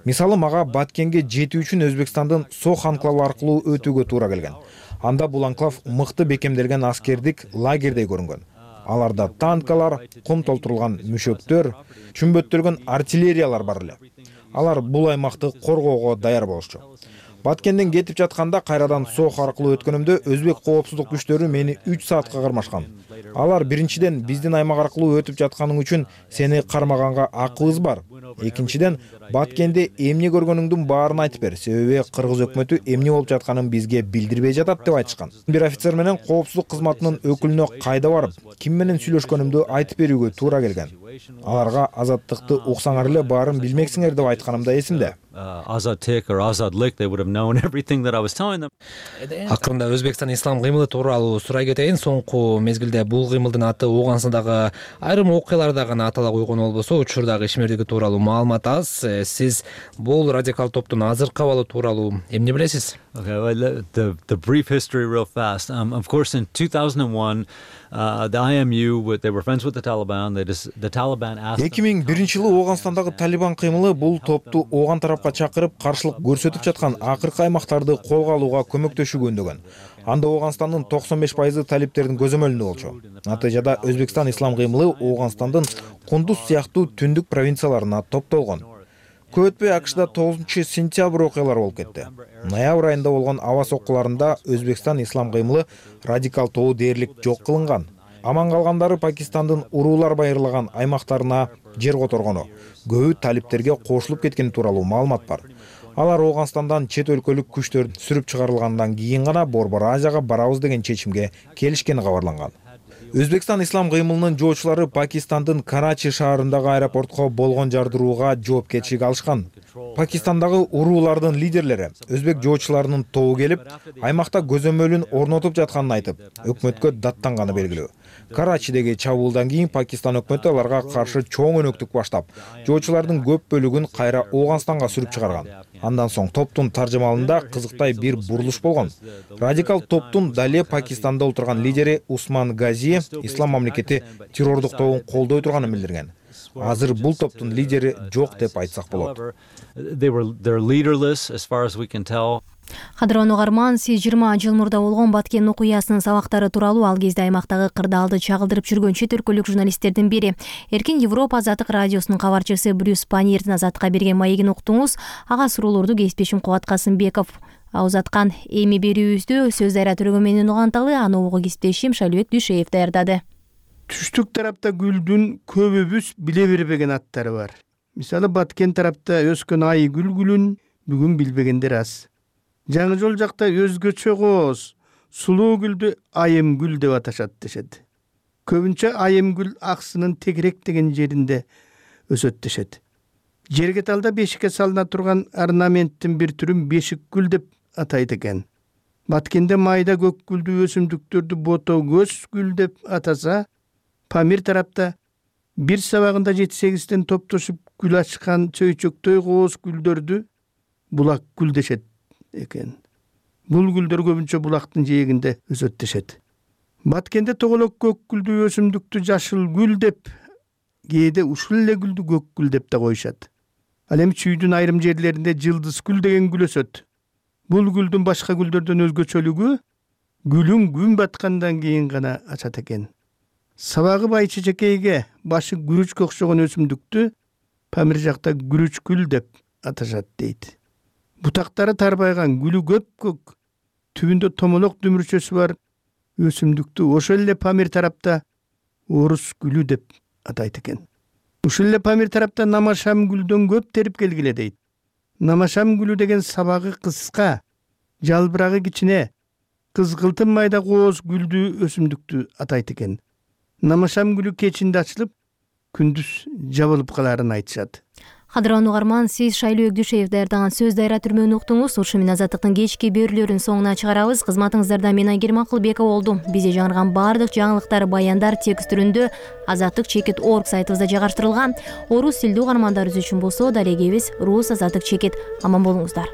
Мисалы, мага Баткенге жетүү үчүн Өзбекстандын Сох анклавы аркылуу өтүүгө туура келген. Анда бул анклав мыкты бекемделген аскердик лагердей көрүнгөн. Аларда танкалар, кум толтурулган мүшөктөр, чүмбөттөлгөн артиллериялар бар эле. Алар бул аймакты коргоого даяр болушчу. Баткенден кетип жатканда кайрадан Сох аркылуу өткөнүмдө өзбек коопсуздук күчтөрү мени үч саатка кармашкан. Алар биринчиден биздин аймак аркылуу өтүп жатканың үчүн сени кармаганга акыбыз бар. Экинчиден, Баткенде эмне көргөнүңдүн баарын айтып бер, себеби кыргыз өкмөтү эмне болуп жатканын бизге билдирбей жатат деп айтышкан. Бир офицер менен коопсуздук кызматынын өкүлүнө кайда барып, ким менен сүйлөшкөнүмдү айтып берүүгө туура келген. Аларга азаттыкты уксаңар эле баарын билмексиңер деп айтканым да эсимде. Azadlik or Azadlik, they would have known everything that I was telling them. Акырында Өзбекстан ислам кыймылы тууралуу сурай кетейин. Соңку мезгилде бул кыймылдын аты Ооганстандагы айрым окуяларда гана атала койгон болбосо, учурдагы ишмердиги тууралуу маалымат аз. Сиз бул радикал топтун азыркы абалы тууралуу эмне билесиз? Okay, well, the the brief history real fast. Um, of course, in two thousand one, uh, the I M U, they were friends with the Taliban. They just, the Taliban asked. эки миң биринчи жылы Ооганстандагы Талибан кыймылы бул топту Ооган тарапка чакырып, каршылык көрсөтүп жаткан акыркы аймактарды колго алууга көмөктөшүүгө үндөгөн. Анда Ооганстандын токсон беш пайызы талиптердин көзөмөлүндө болчу. Натыйжада Өзбекстан ислам кыймылы Ооганстандын Кундуз сыяктуу түндүк провинцияларына топтолгон. Көп өтпөй АКШда тогузунчу сентябрь окуялары болуп кетти. Ноябрь айында болгон аба соккуларында Өзбекстан ислам кыймылы радикал тобу дээрлик жок кылынган. Аман калгандары Пакистандын уруулар байырлаган аймактарына жер которгону, көбү талиптерге кошулуп кеткени тууралуу маалымат бар. Алар Ооганстандан чет өлкөлүк күчтөр сүрүп чыгарылгандан кийин гана Борбор Азияга барабыз деген чечимге келишкени кабарланган. Өзбекстан ислам кыймылынын жоочулары Пакистандын Карачи шаарындагы аэропортко болгон жардырууга жоопкерчилик алышкан. Пакистандагы уруулардын лидерлери өзбек жоочуларынын тобу келип, аймакта көзөмөлүн орнотуп жатканын айтып, өкмөткө даттанганы белгилүү. Карачидеги чабуулдан кийин Пакистан өкмөтү аларга каршы чоң өнөктүк баштап, жоочулардын көп бөлүгүн кайра Ооганстанга сүрүп чыгарган. Андан соң топтун таржымалында кызыктай бир бурулуш болгон. Радикал топтун дале Пакистанда отурган лидери Усман Гази ислам мамлекети террордук тобун колдой турганын билдирген. Азыр бул топтун лидери жок деп айтсак болот. They were they're leaderless as far as we can tell. Кадырлуу угарман, сиз жыйырма жыл мурда болгон Баткен окуясынын сабактары тууралуу ал кезде аймактагы кырдаалды чагылдырып жүргөн чет өлкөлүк журналисттердин бири Эркин Европа Азаттык радиосунун кабарчысы Брюс Паньердин Азаттыкка берген маегин уктуңуз. Ага суроолорду кесиптешим Кубат Касымбеков узаткан. Эми берүүбүздү сөз дайра төрөгөн менен уганталы, аны угуу кесиптешим Шайлыбек Дүйшеев даярдады. Түштүк тарапта гүлдүн көбүбүз биле бербеген аттары бар. Мисалы Баткен тарапта өскөн ай гүлгүлүн бүгүн билбегендер аз. Жаңы жол жакта өзгөчө кооз, сулуу гүлдү айым гүл деп аташат дешет. Көбүнчө айым гүл аксынын тегерек деген жеринде өсөт дешет. Жерге талда бешикке салына турган орнаменттин бир түрүн бешик гүл деп атайт экен. Баткенде майда көк гүлдүү өсүмдүктөрдү бото көз гүл деп атаса, Памир тарапта бир сабагында жети сегизден топтошуп гүл ачкан чөйчөктөй кооз гүлдөрдү булак гүл дешет экен. Бул гүлдөр көбүнчө булактын жээгинде өсөт дешет. Баткенде тоголок көк гүлдүү өсүмдүктү жашыл гүл деп, кээде ушул эле гүлдү көк гүл деп да коюшат. Ал эми чүйдүн айрым жерлеринде жылдыз гүл деген гүл өсөт. Бул гүлдүн башка гүлдөрдөн өзгөчөлүгү гүлүн күн баткандан кийин гана ачат экен. Сабагы бай чечекейге башы күрүчкө окшогон өсүмдүктү Памир жакта күрүч гүл деп аташат дейт. Бутактары тарбайган, гүлү көк-көк, түбүндө томолок дүмүрчөсү бар өсүмдүктү ошол эле Памир тарапта орус гүлү деп атайт экен. Ушул эле Памир тарапта намашам гүлдөн көп терип келгиле дейт. Намашам гүлү деген сабагы кыска, жалбырагы кичине, кызгылтым майда кооз гүлдүү өсүмдүктү атайт экен. Намашам гүлү кечинде ачылып, күндүз жабылып калаарын айтышат. Кадырлуу угарман, сиз Шайлуу Өгдүшев даярдаган сөз дайра түрмөнү уктуңуз. Ушу менен Азаттыктын кечки берүүлөрүн соңуна чыгарабыз. Кызматыңыздарда мен Айгерим Акылбекова болдум. Бизде жаңырган баардык жаңылыктар, баяндар текст түрүндө азаттык чекит точка орг сайтыбызда жайгаштырылган. Орус тилдүү угармандарыбыз үчүн болсо, далегебиз рус азаттык чекит. Аман болуңуздар.